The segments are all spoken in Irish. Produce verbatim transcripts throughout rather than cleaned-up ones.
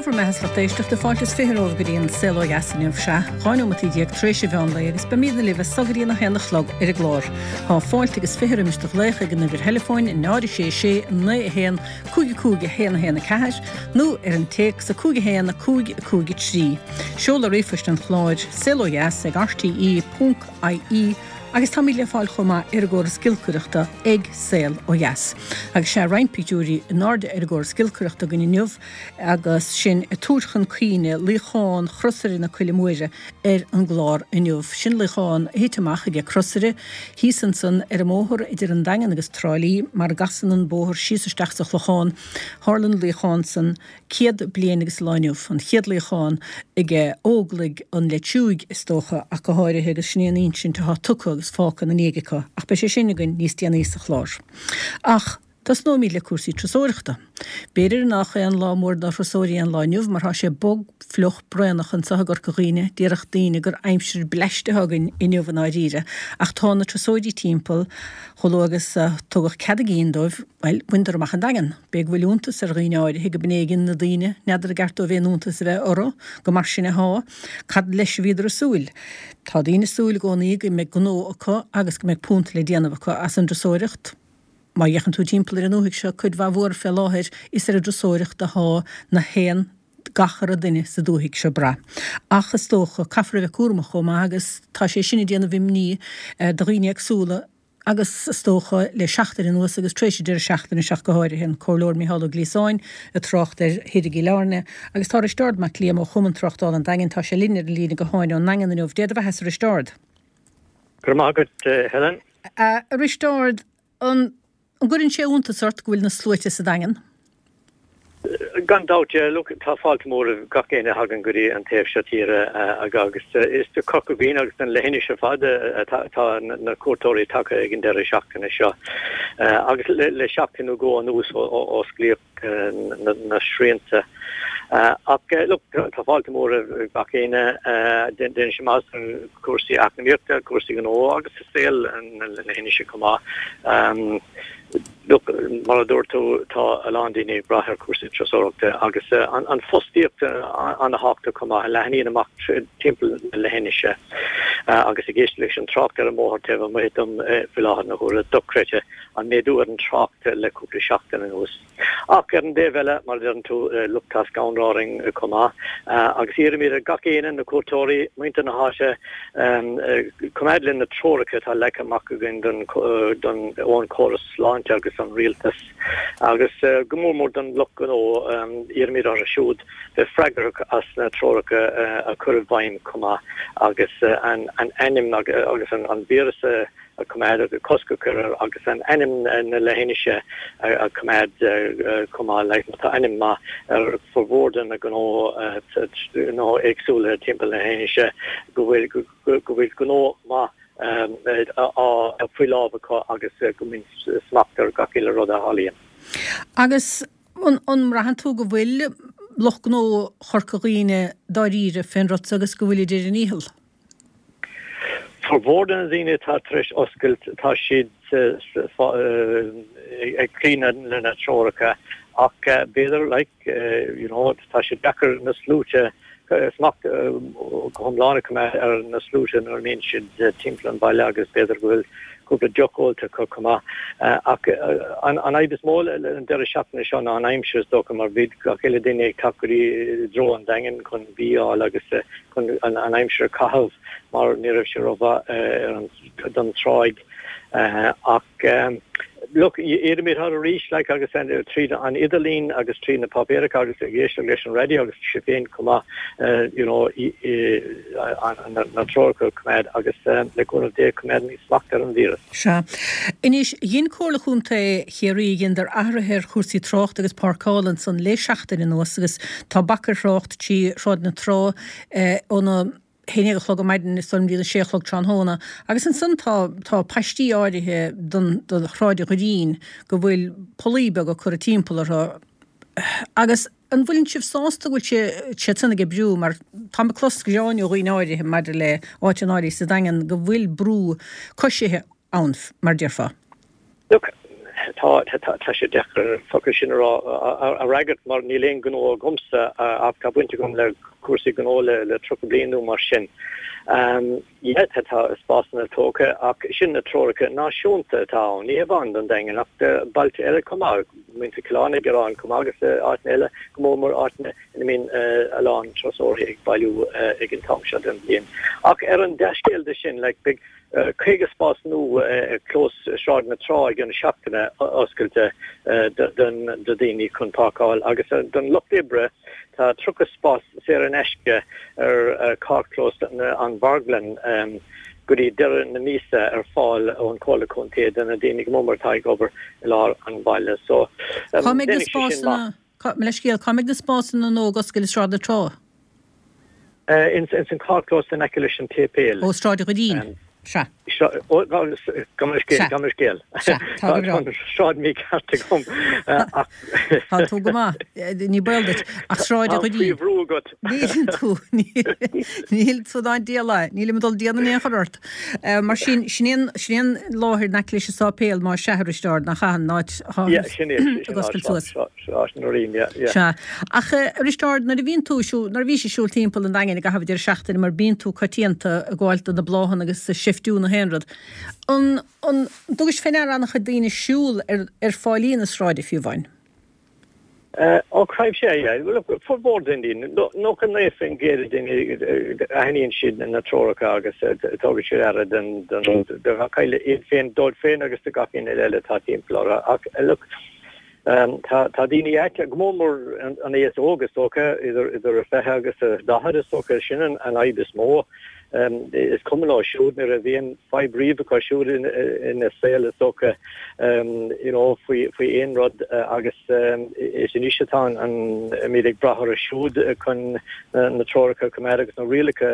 bhur mbeatha 's lucht éisteachta fáilte is fiche romhaibh go dtí an Saol Ó Dheas inniu. Sea, dhá neomataí déag tar éis an mheán lae agus beimidne libh as so go dtí an a haon a chlog ar an gclár. Tá fáilte agus fiche roimis do ghlaoch ag an uimhir theileafóin náid a sé sé naoi a haon cúig a cúig a haon a haon a ceathair nó ar an téacs a cúig a haon a cúig a cúig a trí. Seoladh ríomhphoist an chláir, saol ó dheas ag rte ponc ie agus táimid le fáil chomh maith ar an gcóras giolcaireachta ag Saol Ó Dheas. Agus sea, roinnt pictiúirí in airde ar an gcóras giolcaireachta againn inniu agus sinn ag tabhairt chun cuimhne luíochán Chrosaire na Coille Móire ar an gclár inniu. Sin luíochán a thit amach aige Crosaire thíos ansan ar an mbóthar idir an Daingean agus Trá Lí mar a gcasann an bóthar síos isteach sa Chlochán. Tharla an luíochán san céad bliain agus lá inniu, an chéad luíochán aige Óglaigh an Leitriúigh is dócha ach go háirithe agus sin é an insint atá tugtha agus fágtha ina ndiaidh acu ach beidh sé sin againn níos déanaí sa chlár. Ach tosnóimid le cúrsaí turasóireachta. B'fhéidir nach é an lá mór do thurasóirí an lá inniu mar tá sé bog fliuch braonach anseo i gCorca Dhuibhne, déarfadh daoine gur aimsir bleaist atá againn inniu i ndáiríre ach tá na turasóirí timpeall chomh luath agus a tugadh cead a gcinn dóibh, bhuel, bhaineadar amach an Daingean. B'fhéidir go bhfuil iontas ar dhaoine áirithe go b'in éigean na daoine, n'fheadar an gceart dóibh aon iontas a bheith orthu, go mar sin athá. Cad leis a bhíodar ag súil? Tá daoine ag súil i gcónaí go mbeidh gnó acu agus go mbeidh punt le déanamh acu as an dturasóireacht. Má fhéachann tú timpeall ar an ndúthaigh seo, cuid mhaith mhór fé láthair, is ar an dturasóireacht athá na haon gach re duine sa dúthaigh seo brath. Ach is dócha, caithfear a bheith cúramach chomh maith agus tá sé sin ag déanamh imní do dhaoine éagsúla agus is dócha le seachtain anuas agus tar éis an deireadh seachtaine seo ach go háirithe, an Comhairleoir Micheál Ó Gliasáin ag trácht ar thithe i gCill Airne agus tá Risteárd Mac Liam ó Chumann Tráchtála an Daingin, tá sé linn ar an líne gutháin ón nDaingean inniu. Dé do bheatha-sa, a Risteárd. Go raibh maith agat, Helen. A Risteárd, an gcuireann sé iontas ort go bhfuil na sluaite sa Daingean? Gan dabht, yeah, look, tá fáilte mór roimh gach éinne a thagann go dtí an taobh seo tíre agus is do Chorca Dhuibhne agus don leithinis ar fad atá na cuairteoirí tagtha ag an deireadh seachtaine seo. Agus le seachtain nó dhó anuas ó osclaíodh na srianta. Ach look, tá fáilte mór roimh gach éinne, déanann sé maitheas do chúrsaí eacnamaíochta, cúrsaí gnó agus saol na leithinise chomh maith. Look, mar a dúirt tú, tá a lán daoine ag brath ar chúrsaí turasóireachta agus an fostaíocht an-thábhachtach chomh maith, a leathnaíonn amach timpeall na leithinise. Agus ag éisteacht leis an trácht ar an mbóthar taobh amuigh dom faoi láthair na huaire, dochreidte an méadú ar an trácht le cúpla seachtain anuas. Ach ar an dtaobh eile, mar a deireann tú, look, tá scanradh orainn chomh maith. Agus iarraimid ar gach éinne, na cuairteoirí, muintir na háite, Coimeád le na treoracha atá leagtha amach againn don ón chóras sláinte agus an rialtas agus go mór mór don lucht gnó, iarraimid orthu siúd bheith freagrach as na treoracha a chur i bhfeidhm chomh maith agus an ainm agus an víreas a a choimeád agus cosc a chur air agus an ainm na leithinise a choimeád chomh maith. Like, tá ainm maith ar formhór de na gnó gnó éagsúla timpeall na leithinise go bhfuil go bhfuil gnó maith á faoi lámh acu agus go mbíonn smacht ar gach uile rud a tharlaíonn. Agus an mbraitheann tú go bhfuil lucht gnó Chorca Dhuibhne dáiríre fén rud so agus go bhfuilid ar a ndícheall? Formhór de na daoine atá tar éis oscailt, tá siad ag cloí le na treoracha ach b'fhéidir like you know tá sé deacair na sluaite, smacht go hiomlán a choimeád ar na sluaite nuair a mbíonn siad timpeall an bhaile agus b'fhéidir go bhfuil cúpla deoch ólta acu chomh maith. Ach an fhadhb is mó an deireadh seachtaine seo ná an aimsir is dócha mar bhí gach uile duine ag teacht go dtí i dtreo an Daingin chun bia a fháil agus chun an aimsir a chaitheamh mar ní raibh sé rómhaith ar an don tráigh ach look iarraimid orthu arís like agus tríd an idirlíon agus trí na páipéaracha agus ag éisteacht leis an raidió agus sibh féin chomh maith you know na treoracha a choimeád agus le cúnamh Dé coimeádfaimid smacht ar an víreas. Sea. Anois, dhein Comhairle Chontae Chiarraí, dheineadar athruithe ar chúrsaí tráchta agus páirceála ansan le seachtain anuas agus tá bac ar thrácht trí Shráid na Trá óna haon déag a chlog ar maidin is dóigh liom go dtí a sé a chlog tráthnóna agus ansan tá tá paistí áirithe don do Shráid an Dhoirín go bhfuil pollaí beaga curtha timpeall orthu agus an bhfuileann sibh sásta go bhfuil sé siad san ag oibriú mar táim ag clos gearáin ó dhaoine áirithe maidir le áiteanna áirithe sa Daingean go bhfuil brú coisithe ann mar déarfá. Look, Tá tá sé deacair an focal sin a rá a fhreagairt mar níl aon ghnó agamsa ach tá baint agam le cúrsaí gnó le le tríocha bliain nó mar sin. Yeah tá tá spásanna tógtha ach sin na treoracha náisiúnta atá ann, ní hamháin don Daingean ach do bailte eile chomh maith, muintir Chill Airne ag gearán chomh maith agus áiteanna eile, go mór mór áiteanna ina mbíonn a lán turasóirí ag bailiú ag an t-am seo den bhliain. Ach ar an dea-scéal de sin, like, beidh caoga spás nua ag clós Sráid na Trá i gcionn seachtaine oscailte do dhaoine chun páirceáil agus don lucht oibre tá tríocha spás saor in aisce ar carrchlós an Mharglann go dtí deireadh na míosa ar fáil ón Chomhairle Contae do na daoine go mór mór atá ag obair i lár an bhaile. So Cá mbeidh na spásanna, mo leithscéal, cá mbeidh na spásanna nua ag oscailt i Sráid na Trá? Ins an carrchlós in aice leis an tséipéal. Ó Sráid an Dhoirín. Sea. Ó, gabh mo leithscéal, gabh mo leithscéal. Sea, tá go breá. Tá an sráid mícheart agam ach. Tá tú go maith, ní baol duit, ach Sráid an Dhoirín. Tá faoi bhrú agat. Níl tú, níl tú ná diabhal é, nílim ag dul déanamh aon chor ort. Mar sin, sin é an, sin é an láthair in aice leis an sáipéal, más ea, a Risteaird, nach ea an áit atá Yeah, sin é, sin ag oscailt suas. Sráid an Doirín, yeah, yeah. Sea. Ach, a Risteaird, nuair a bhíonn tú ag siúl, nuair a bhís ag siúl timpeall an Daingin i gcaitheamh an deireadh seachtaine, mar bíonn tú coitianta ag gabháil do na bláthanna agus ag seiftiú na haon rud, an, an dtugais fé ndeara an-chuid daoine ag siúl ar, ar fáilí na sráide fiú amháin? Ó, creidim sea, yeah. Bhuel, look, formhór den daoine, nócha naoi faoin gcéad de daoine, aithníonn siad na treoracha agus tugann siad aire den, den, do gach eile, iad féin, dóibh féin agus do gach éinne eile atá timpeall orthu. Ach, look, Tá daoine ait, go mór mór an aos óg is dócha, idir idir fiche agus daichead is dócha, sin an fhadhb is mó. Is cuma leo siúd, ní raibh aon fadhb riamh acu siúd ina saol is dócha, you know, faoi faoi aon rud agus is anois atá an muid ag brath orthu siúd chun na treoracha a choimeád agus na rialacha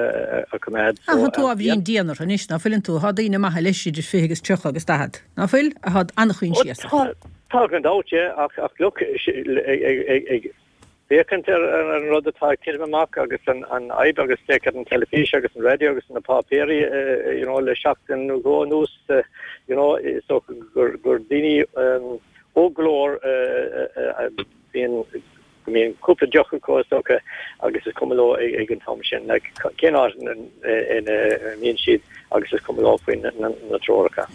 a choimeád. Ach tá tú ábhairín dian orthu anois, ná fuileann tú? Tá daoine maithe leis idir fiche agus tríocha agus daichead, ná fuil? Atá an-choinsiasach. Tá gan dabht, yeah, ach ach look, ag féachaint ar an rud atá ag titim amach agus an an fhadhb agus féach ar an teilifís agus an raidió agus na páipéirí you know le seachtain nó dhó anuas you know is dócha gur gur daoine óg go leor a bhíonn go mbíonn cúpla deoch acu is dócha agus is cuma leo ag an t-am sin like cén áit ina mbíonn siad agus is cuma leo faoi na treoracha.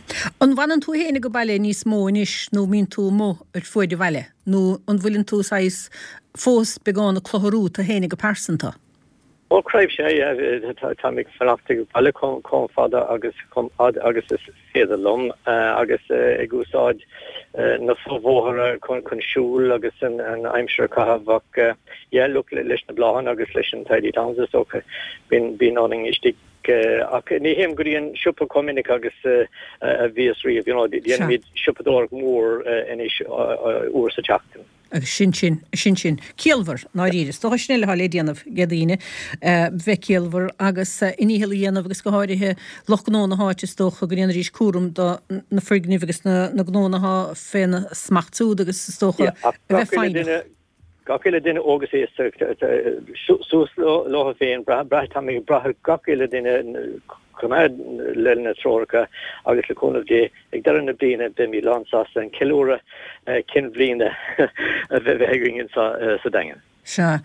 An bhfanann tú féin ag baile níos mó anois nó mbíonn tú amuigh ar fuaid an bhaile nó an bhfuileann tú saghas fós beagán ag clutharú tú féin go pearsanta? Ó creidim sea, yeah, táim ag fanacht ag baile chomh fada agus chomh fad agus is féidir liom agus ag úsáid na fobhóithre chun siúl agus an aimsir a chaitheamh ach yeah, look, leis na bláthanna agus leis an Tidy Towns is dócha bíonn bíonn orainn istigh ach ní théim go dtí an siopa chomh minic agus a bhíos riamh, you know, déanaimid siopadóireacht mhór anois uair sa tseachtain. Agus sin sin, sin sin. Ciallmhar, ndáiríre. Is dócha sin uile atá le déanamh ag daoine, bheith ciallmhar agus a ndícheall a dhéanamh agus go háirithe lucht gnó na háite is dócha go ndéanfaidís cúram do na foirgnimh agus na na gnónna atá féna smacht siúd agus is dócha a bheith foighneach. Gach uile duine óg is aosta suas leo féin, brath, táim ag brath ar gach uile duine coimeád le na treoracha agus le cúnamh Dé ag deireadh na bliana beimid lán sásta an ceiliúradh cinn bhliana a bheith againn anseo sa Daingean. Sea.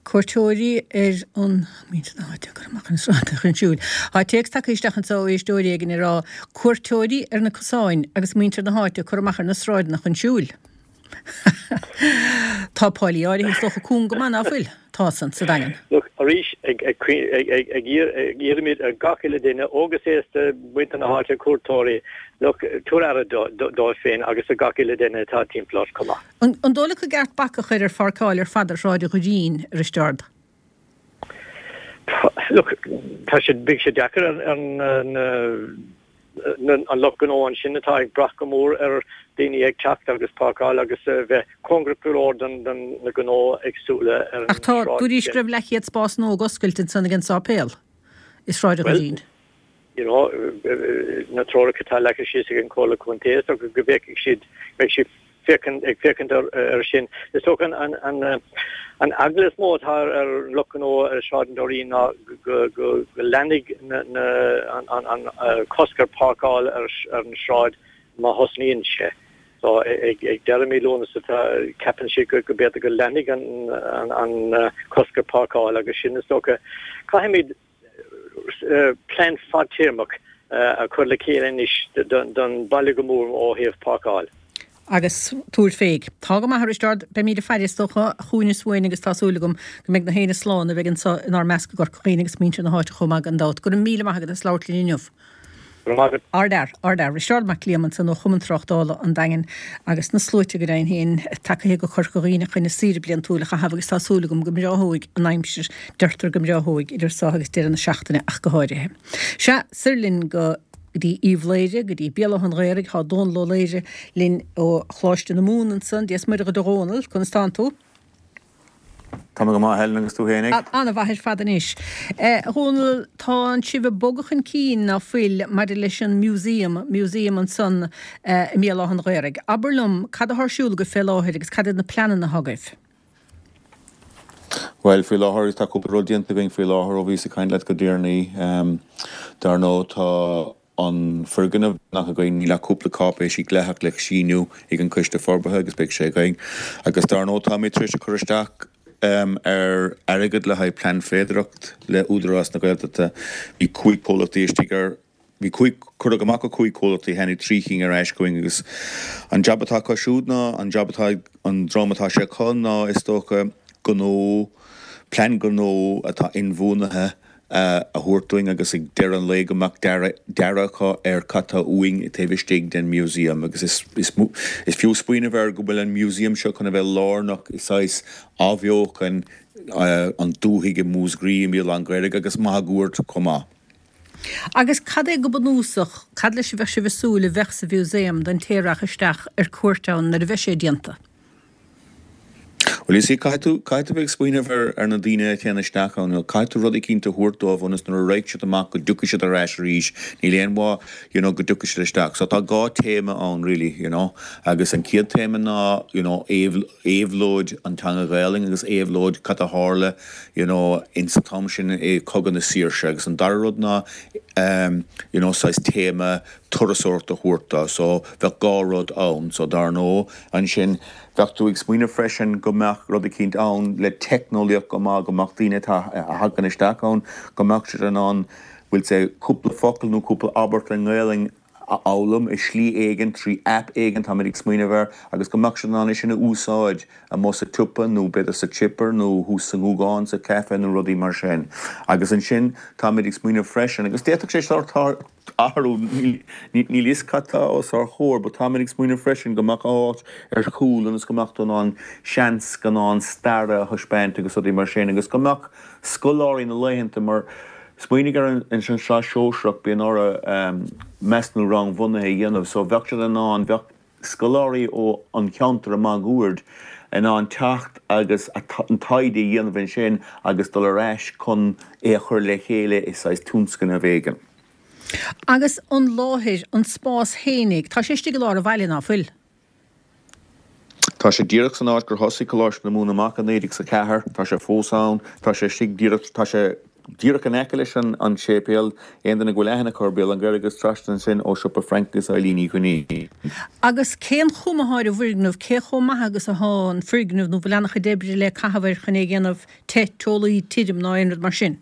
Cuairteoirí ar an muintir na háite ag cur amach ar na sráideanna chun siúil. Tá téacs tagtha isteach anseo ó éisteoir éigin ag rá, Cuairteoirí ar na cosáin agus muintir na háite ag cur amach ar na sráideanna chun siúil. Tá póilí áirithe is dócha cúng go maith, ná fuil? Tá san, sa Daingean. Look, arís, ag ag iarraimid ar gach uile duine, óg is aosta, muintir na háite, cuairteoirí, look, tabhair aire dóibh féin agus do gach uile duine atá timpeall ort chomh maith. An dóigh leat go gceart bac a chur ar pháirceáil ar fad ar Shráid an Dhoirín, a Risteard? Look, tá sé, beidh sé deacair ar na an lucht gnó ansin atá ag brath go mór ar daoine ag teacht agus páirceáil agus a bheith cóngarach go leor don na gnó éagsúla ar an Ach tá, dúraís go raibh leathchéad spás nua ag oscailt ansan ag an sáipéal i Sráid an Dhoirín. you know, na treoracha atá leagtha síos ag an Chomhairle Contae is dócha go bhféachfaidh siad, beidh siad féachaint, ag féachaint air sin. Is dócha an, an, an eagla is mó atá ar an lucht gnó ar Shráid an Doirín ná go, go, go leanfaidh na, na, an, an, an cosc ar páirceáil ar, ar an sráid má thosnaíonn sé. So ag deireadh mí Lúnasa tá ceapann siad go b'fhéidir go leanfaidh an an cosc ar páirceáil agus sin is dócha caithfimid plean fadtéarmach a chur le chéile anois don baile go mór ó thaobh páirceáil. Agus tabhair féig. Tá go maith a Risteárd, beimid ag faire is dócha chugainn is uainn agus tá súil agam go mbeidh na héinne slán a bheidh anseo inár measc i gCorca Dhuibhne agus muintir na háite chomh maith gan dabht. Go raibh míle maith agat as labhairt linn inniu. Ardfhear, ardfhear. Risteárd Mac Liam ansan ó Chumann Tráchtála an Daingin agus na sluaite go deimhin féin tagtha go Corca Dhuibhne chun a saoire bliantúil a chaitheamh agus tá súil agam go mbreáthóidh an aimsir, deirtear go mbreáthóidh idir seo agus deireadh na seachtaine ach go háirithe. Sea, soir linn go dtí Uíbh Laoghaire, go dtí Béal Átha an Ghaorthaidh, tá Dónal Ó Laoghaire linn ó Choláiste na Mumhan ansan. Dia is Muire dhuit a Dhónaill, conas tánn tú? Tá mé go maith, Helen, agus tú fhéinig? An-mhaith ar fad anois. A Dhónaill, tánn sibh ag bogadh chun cinn, ná fuil, maidir leis an museum, museum ansan i mBéal Átha an Ghaorthaidh. Abair liom, cad atá ar siúl agaibh fé láthair agus cad iad na pleananna atá agaibh? Bhuel, faoi láthair, tá cúpla rud déanta againn faoi láthair ó bhíos ag caint leat go deireanaí. Dar ndóigh, tá an foirgneamh nach againn, níl ach cúpla cáipéisí dleathach le síniú ag an Coiste Forbartha agus beidh sé againn. Agus dar ndóigh, táimid tar éis a cur isteach ar airgead le haghaidh plean féidearthacht le Údarás na Gaeltachta. Bhí cúig comhlachtaí istigh ar, bhí cúig, cuireadh amach go cúig comhlachtaí, tháinig trí chinn ar ais chugainn agus an jab atá acu siúd ná, an jab atá ag an dream atá sé acu ná is dócha gnó, plean gnó atá inbhuanaithe a thabhairt dúinn agus ag deireadh an lae go mbeadh dearadh acu ar cad tá uainn taobh istigh den museum agus is is fiú smaoineamh air go bhfuil an museum seo chun a bheith lárnach i saghas athbheochan an dúthaigh i Múscraí i mBéal Átha an Ghaorthaidh agus máguaird chomh maith. Agus cad é go bunúsach, cad leis a bheadh sibh ag súil a bheadh sa mhúsaem don té a rachadh isteach ar cuairt ann nuair a bheidh sé déanta? Bhuel, you see, caithfidh tú, caithfidh tú bheith ag smaoineamh ar, ar na daoine a théann isteach ann, you know, caithfidh tú rud eicínt a thabhairt dóibh ionas nuair a raghaidh siad amach go dtiocfaidh siad ar ais arís, níl aon mhaith, you know, go dtiocfaidh siad isteach. So tá dhá téama ann really, you know, agus an chéad téama ná, you know, éabhlóid an teanga Ghaelainn agus éabhlóid cad a tharla, you know, ins an t-am sin i Cogadh na Saoirse agus an dara rud ná, um, you know, saghas téama turasóireacht a thabhairt dó. So bheadh dhá rud ann. So dar ndóigh, ansin, bheadh tú ag smaoineamh freisin go mbeadh rud eicínt ann le teicneolaíocht go maith, go mbeadh daoine atá, a thagann isteach ann, go mbeadh siad in ann, bhfuil sé, cúpla focal nó cúpla abairt i nGaelainn a fhoghlaim i slí éigin, trí aip éigin, táimid ag smaoineamh air, agus go mbeadh siad in ann é sin a úsáid amuigh sa tsiopa nó b'fhéidir sa chipper nó thuas sa nGúgán sa chaife nó rudaí mar sin. Agus ansin táimid ag smaoineamh freisin, agus d'fhéadfadh sé sórt athrú, níl a fhios cad tá os ár chomhair, but táimid ag smaoineamh freisin go mbeadh áit ar chúl ionas go mbeadh tú in ann seanscannán staire a thaispeáint agus rudaí mar sin agus go mbeadh scoláirí na laethanta mar Smaoinigh ar an tsraith shóisearach, bíonn orthu measúnú rangbhunaithe a dhéanamh so bheadh siad in ann, bheadh scoláirí ó an cheantar máguaird in ann teacht agus an taighde a dhéanamh ansin agus dul ar ais chun é a chur le chéile i saghas tionscnamh éigin. Agus an láthair, an spás fhéinig, tá sé istigh i lár an bhaile, ná fuil? Tá sé díreach san áit gur thosaigh Coláiste na Mumhan amach i naoi déag is a ceathair. Tá sé fós ann. Tá sé istigh díreach, tá sé díreach in aice leis an an séipéal. Aon duine go bhfuil aithne acu ar Bhéal an Ghaorthaidh is trasna ansin ó siopa Frank agus Eileen Uí Chuinnín. Agus cén chuma athá ar an bhfoirgneamh, cé chomh maith agus athá an foirgneamh nó bhfuil an-chuid oibre le caitheamh air chun é a dhéanamh te, teolaí, tirim ná aon rud mar sin?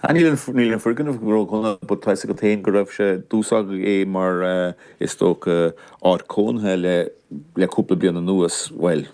Ah, níl an, níl an foirgneamh ródhona but tá 'fhios agat féin go raibh sé, d'úsáideadh é mar is dócha áit cónaithe le, le cúpla bliain anuas, bhuel,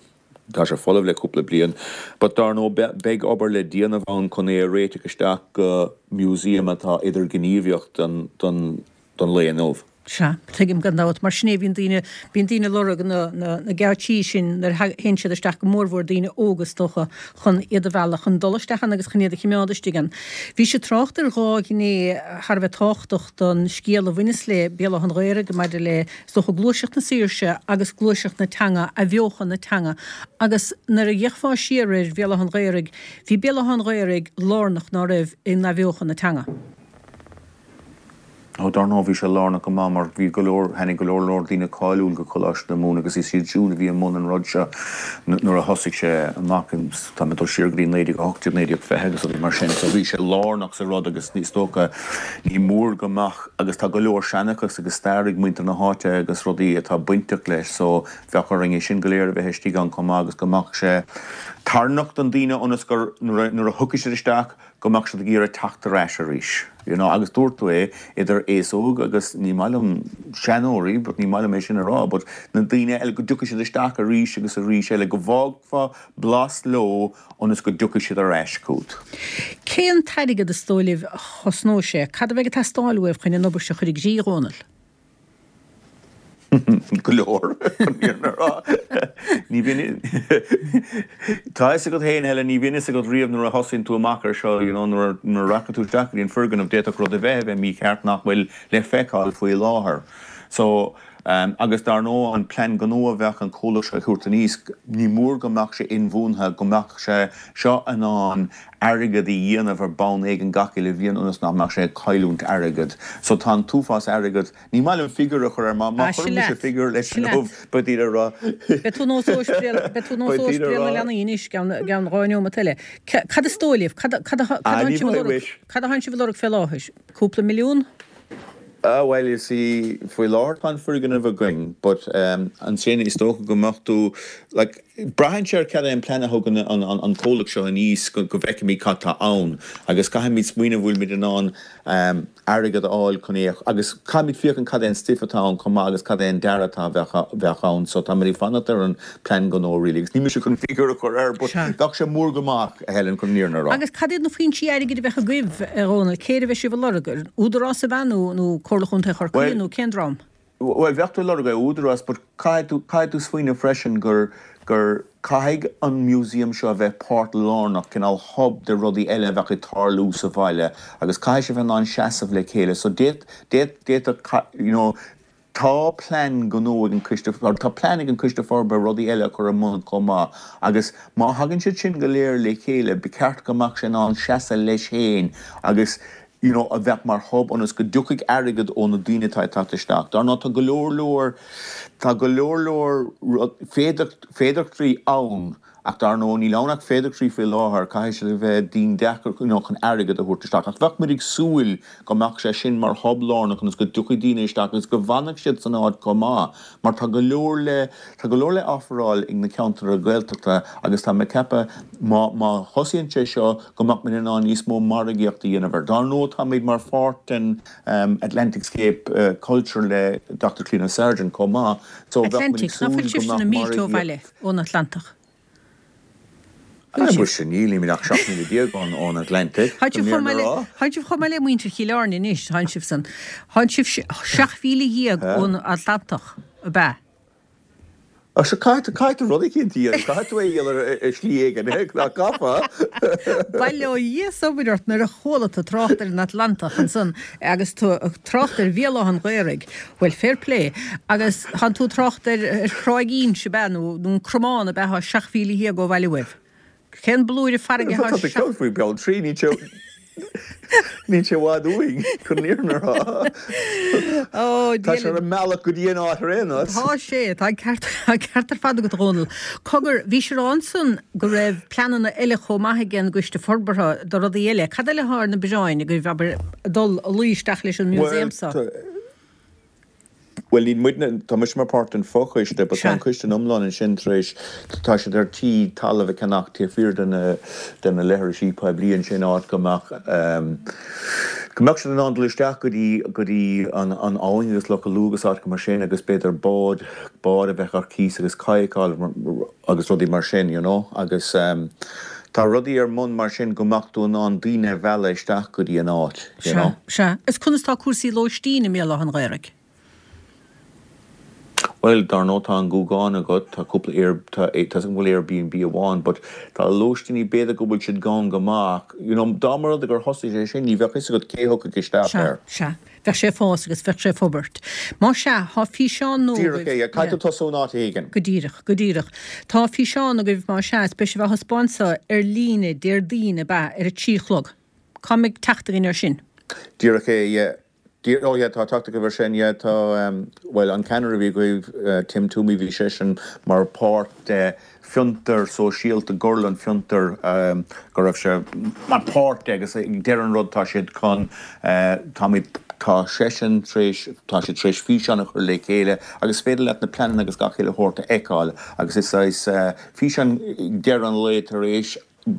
tá sé folamh le cúpla bliain but dar ndóigh beidh obair le déanamh ann chun é a réiteach isteach go museum atá idirghníomhach don, don, don lae inniu. Sea, tuigim gan dabht. Mar sin é, bíonn daoine, bíonn daoine ag lorg na, na, na geáitsí sin nuair a théann siad isteach, go mórmhór daoine óga is dócha, chun iad a mhealladh chun dul isteach ann agus chun iad a chimeád istigh ann. Bhís ag trácht ar dhá ghné thar a bheith tábhachtach don scéal a bhaineas le Béal Átha an Ghaorthaidh maidir le, is dócha, gluaiseacht na saoirse agus gluaiseacht na teanga, athbheochan na teanga. Agus nuair a d'fhéachfá siar ar Bhéal Átha an Ghaorthaidh, bhí Béal Átha an Ghaorthaidh lárnach, ná raibh, in athbheochan na teanga? Ó dar ndóigh bhí sé lárnach go maith mar bhí go leor, tháinig go leor leor daoine cáiliúil go Coláiste na Mumhan agus is iad siúd a bhí i mbun an rud seo nuair a thosaigh sé amach in, tá mé ag dul siar go dtí naoi déag a hocht déag, naoi déag fiche agus rudaí mar sin. So bhí sé lárnach sa rud agus is dócha ní mór go mbeadh, agus tá go leor seanchas agus stair ag muintir na háite agus rudaí atá bainteach leis so bheadh orainn é sin go léir a bheith istigh ann chomh maith agus go mbeadh sé tarraingteach don daoine ionas gur nuair a, nuair a thiocfaidh siad isteach go mbeadh siad ag iarraidh teacht ar ais arís, you know, agus dúirt tú é, idir aos óg agus, ní maith liom seanóirí, but ní maith liom é sin a rá, but na daoine eile, go dtiocfaidh siad isteach arís agus arís eile, go bhfágfá blas leo ionas go dtiocfaidh siad ar ais chugat. Cén t-airgead is dóigh libh a chosnóidh sé? Cad a bheidh ag teastáil uaibh chun an obair seo a chur i gcrích, a Dhónaill? Go leor, chun an fhírinne a rá. Ní bhíonn, tá a fhios agat féin, Helen, ní bhíonn a fhios agat riamh nuair a thosaíonn tú amach ar seo, you know, nuair a rachaidh tú isteach go dtí an foirgneamh, d'fhéadfadh rud a bheith a bheith mícheart nach bhfuil le feiceáil faoi láthair. So, agus dar ndóigh an plean gnó a bheadh an comhlacht seo a thabhairt aníos, ní mór go mbeadh sé inbhuanaithe, go mbeadh sé seo in ann airgead a dhéanamh ar bonn éigin gach uile bhliain ionas nach mbeadh sé ag cailliúint airgead. So tá an t-uafás airgead, ní maith liom figiúr a chur air, má chuireann mise figiúr leis inniu beidh daoine ag rá, Beidh tú nós beidh tú nós Ospidéal na Leanaí anois i gceann dhá neomat eile. Cad is dóigh libh? Cad atánn sibh a lorg fé láthair? Cúpla milliún? Ah bhuel, you see, faoi láthair tá an foirgneamh againn but ansin is dócha go mbeadh tú, like, braitheann sé ar cad é an plean a thugann an comhlacht seo aníos go bhfeicfimid cad tá ann agus caithfimid smaoineamh bhfuilimid in ann airgead a fháil chun é agus caithfimid féachaint cad é an stuif atá ann chomh maith agus cad é an dearadh atá bheadh ann so táimid ag fanacht ar an plean gnó really agus níl mise chun figiúr a chur air but bheadh sé mór go maith, a Helen, chun an fhírinne a rá. Agus cad iad na foinsí airgid a bheadh agaibh, a Dhónaill? Cé air a bheidh sibh ag lorg? Ar Údarás ab ea nó nó Comhairle Chontae Chorcaí nó cén dream? Bhuel, bheadh tú ag lorg ar Údarás but caithfidh tú, caithfidh tú smaoineamh freisin gur, gur, caithfidh an museum seo a bheith páirt lárnach, cineál hub de rudaí eile a bheadh ag tarlú sa bhaile agus caithfidh sé bheith in ann seasamh le chéile so d'fhéad, d'fhéad, d'fhéadfadh, you know, tá plean gnó ag an Coiste, or tá plean ag an Coiste Forbartha rudaí eile a chur i mbun chomh maith agus má thagann siad sin go léir le chéile ba cheart go mbeadh sé in ann seasamh leis féin agus you know a bheadh mar hub ionas go dtiocfaidh airgead ó na daoine atá ag teacht isteach. Dar ndóigh tá go leor leor, tá go leor leor féidearthachtaí ann ach dar ndóigh níl ann ach féidearthachtaí faoi láthair, caithfidh siad a bheith dian deacair you know chun airgead a thabhairt isteach. Ach bheadh muid ag súil go mbeadh sé sin mar hub lárnach ionas go dtiocfaidh daoine isteach agus go bhfanfadh siad san áit chomh maith mar tá go leor le, tá go leor le offeráil ag na ceantair Ghaeltachta agus tá mé ag ceapadh má, má thosaíonn sé seo go mbeadh muid in ann níos mó margaíocht a dhéanamh air. Dar ndóigh táimid mar pháirt den Atlantic Scape Culture le Doctor Clíona Sargent chomh maith so bheadh muid ag Atlantic, ná súil fuil go sibhse mbeadh na mílte ó margaíocht. bhaile ón Atlantach? Fuil Ah, sibh? muise, nílimid ach seacht míle déag ón ón Atlantic, Tánn chun sibh chomh an maith fhírinne le, a rá. tánn sibh chomh maith le muintir Chill Airne anois, tánn sibh san, tánn sibh seacht mhíle dhéag ón Atlantach, ab ea? Ach seo, caithfidh tú, caithfidh tú rud eicínt a dhéanamh, caithfidh tú é a dhéanamh ar shlí éigin, nach gcaithfeá? Bail ó Dhia is obair ort nuair a chuala tú trácht ar an Atlantach ansan agus tú ag trácht ar Bhéal Átha an Ghaorthaidh, bhuel, fair play, agus tánn tú ag trácht ar Thráigh Inse, ab ea, nó an Cromán, ab ea, atá seacht mhíle dhéag ó bhaile uaibh. Cén blúire farraige Tá atá tú seacht. ceann faoi Bealtraí, níl sé, níl sé i bhfad uainn, chun an fhírinne a rá. Ó, Tá Dia sé ar linn. an mbealach go dtí an áit ar aon nós. Tá sé, tá an ceart, tá an ceart ar fad agat, a Dhónaill. Cogar, bhís ag rá ansan go raibh pleananna eile chomh maith ag an gCoiste Forbartha do rudaí eile. Cad eile atá ar na bioráin agaibh, abair, dul a luí isteach leis an Bhuel, museum so? Bhuel, níl muidne, tá mise mar páirt den fochoiste, but tá Sea. an coiste in iomlán ansin tar éis, tá siad ar tí talamh a cheannach taobh thiar de na, de na leithrisí poiblí ansin, áit go mbeadh, go mbeadh siad in ann dul isteach go dtí, go dtí an, an abhainn agus Loch Lú agus áiteacha mar sin agus b'fhéidir bád, bád a bheith ar cíos agus cadhcáil agus rudaí mar sin, you know, agus tá rudaí ar mbun mar sin go mbeadh tú in ann daoine a mhealladh isteach go dtí an áit, you Sea, know. sea. Is conas tá cúrsaí lóistín i mBéal Átha an Ghaorthaidh? Bhuel, dar ndóigh tá an Gúgán agat, tá cúpla Air, tá, tá 'fhios agam go bhfuil Airbnb amháin, but tá lóistíní, b'fhéidir go bhfuil siad gann go maith, you know, dá mba rud é gur thosaigh sé sin, ní bheadh 'fhios agat cé thiocfadh isteach Sea, air. sea. Bheadh sé ag fás agus bheadh sé ag forbairt. Má sea, tá físeán nua Díreach agaibh, é, yeah, caithfidh yeah. tú tosú in áit éigin. Go díreach, go díreach. Tá físeán agaibh, má sea, is beidh sibh á thaispeáint so ar líne Déardaoin, ab ea, ar a trí a chlog. Cá mbeidh teacht againn air sin? Díreach é, yeah. Oh yeah, tá teacht agaibh air sin, yeah, tá, bhuel, an ceannaire a bhí agaibh, Tim Twomey, bhí seisean mar páirt de fiontar sóisialta, Gorlann Fiontar, go raibh sé mar páirt de agus ag deireadh an rud tá siad chun, táimid, tá seisean tar éis, tá siad tar éis físeán a chur le chéile agus is féidir leat na pleananna agus gach uile shórt a fheiceáil agus is saghas físeán ag deireadh an lae tar éis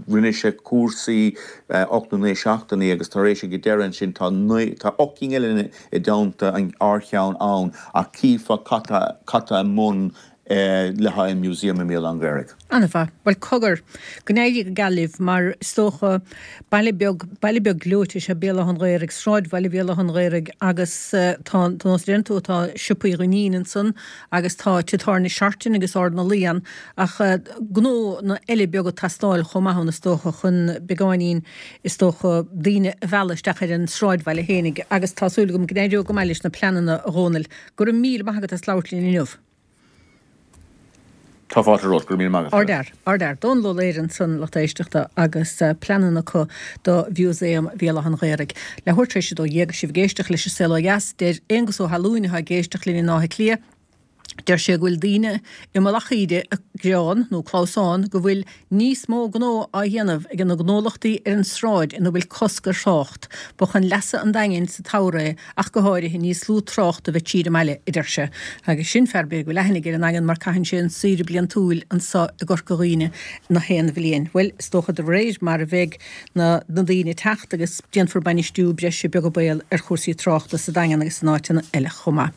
Rinne sé cúrsaí ocht nó naoi seachtainí agus tar éis ag deireadh ansin tá naoi, tá ocht gcinn eile i dteannta ár cheann ann ach chífeá cad tá, cad tá i mbun le haghaidh an Museum i mBéal Átha an Ghaorthaidh. An-mhaith. Bhuel, cogar, go n-éirí go geal libh mar is dócha baile beag, baile beag gleoite is ea Béal Átha an Ghaorthaidh, sráidbhaile Bhéal Átha an Ghaorthaidh agus tá, tá nós deireann tú, tá siopaí Dhuinnín ansan agus tá Tigh Tábhairne Seartan agus Ard na Laoi ann ach gnónna eile beaga ag teastáil chomh maith ann is dócha chun beagáinín is dócha daoine a mhealladh isteach ar an sráidbhaile fhéinig agus tá súil agam go n-éireoidh go maith leis na pleananna a Dhónaill. Go raibh míle maith agat as labhairt linn inniu. Tá fáilte romhat, go raibh míle maith agat. Ardfhear, ardfhear. Dónal Ó Laoire ansan lucht éisteachta agus pleananna acu do Mhúsaem Bhéal Átha an Ghaorthaidh. Leathuair tar éis a dó dhéag is sibh ag éisteacht leis an Saol Ó Dheas. Deir Aonghus Ó hAlúin atá ag éisteacht linn in Áth Cliath, Deir sé go bhfuil daoine i Mullach Íde ag gearán, nó clamhsán, go bhfuil níos mó gnó á dhéanamh ag na gnólachtaí ar an sráid ina bhfuil cosc ar thrácht. Ba chun leasa an Daingin sa tsamhradh é ach go háirithe níos lú trácht a bheith tríd an mbaile, a deir sé. Agus sin fear b'fhéidir go bhfuil aithne aige ar an nDaingean mar caitheann sé an saoire bliantúil anso i gCorca Dhuibhne na haon bhliain. Bhuel, is dócha de réir mar a bheidh na na daoine ag teacht agus déanfar bainistiú breise beag an baol ar chúrsaí tráchta sa Daingean agus in áiteanna eile chomh maith.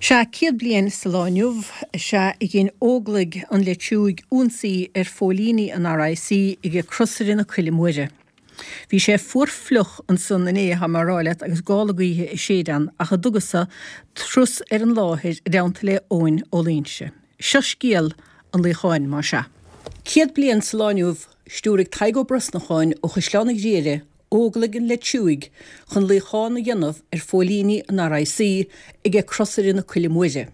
Sea, céad bliain sa lá inniu is ea a dhein Óglaigh an Leitriúigh ionsaí ar phóilíní an RIC ag Crosaire na Coille Móire. Bhí sé fuar fliuch ansan inné, thá mé a rá leat, agus gála gaoithe ag séideadh ann, ach a dtugas-sa turas ar an láthair i dteannta le Eoin Ó Loingsigh. Seo scéal an luíocháin, más ea. Céad bliain sa lá inniu, stiúraigh Tadhg Ó Brosnacháin ó Chaisleán an Ghriaire Óglaigh an Leitriúigh chun luíochán a dhéanamh ar phóilíní an RIC aige Crosaire na Coille Móire.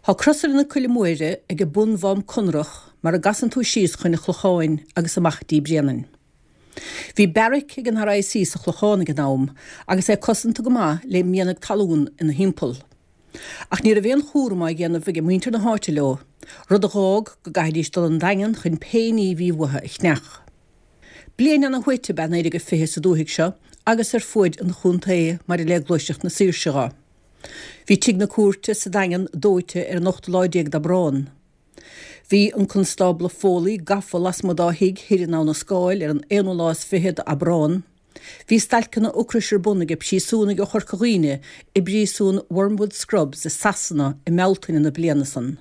Thá Crosaire na Coille Móire age bun Mhám Conrach mar a gcasann tú síos chun an Chlocháin agus amach dtí Bréanainn. Bhí beairic ag an RIC sa Chlochán ag an am agus é cosanta go maith le mianaigh talún ina thimpeall. Ach ní raibh aon chúram á dhéanamh aige muintir na háite leo, rud a dh'fhág go gcaithfidís dul 'on Daingean chun pé ní a bhí uathu a cheannach. Bliain ana-shuaite ab ea naoi déag a fiche sa dúthaigh seo agus ar fuaid an chontae maidir le gluaiseacht na saoirse dho. Bhí tigh na cúirte sa Daingean dóite ar an ochtú lá déag d'Aibreán. Bhí an Constábla Foley gafa lasmuigh dá thigh thoir in Abha na Scáil ar an aonú lá is fiche d'Aibreán. Bhí stailceanna ocrais ar bun aige príosúnaigh ó Chorca Dhuibhne i bpríosún Wormwood Scrubs i Sasana i mBealtaine na bliana san.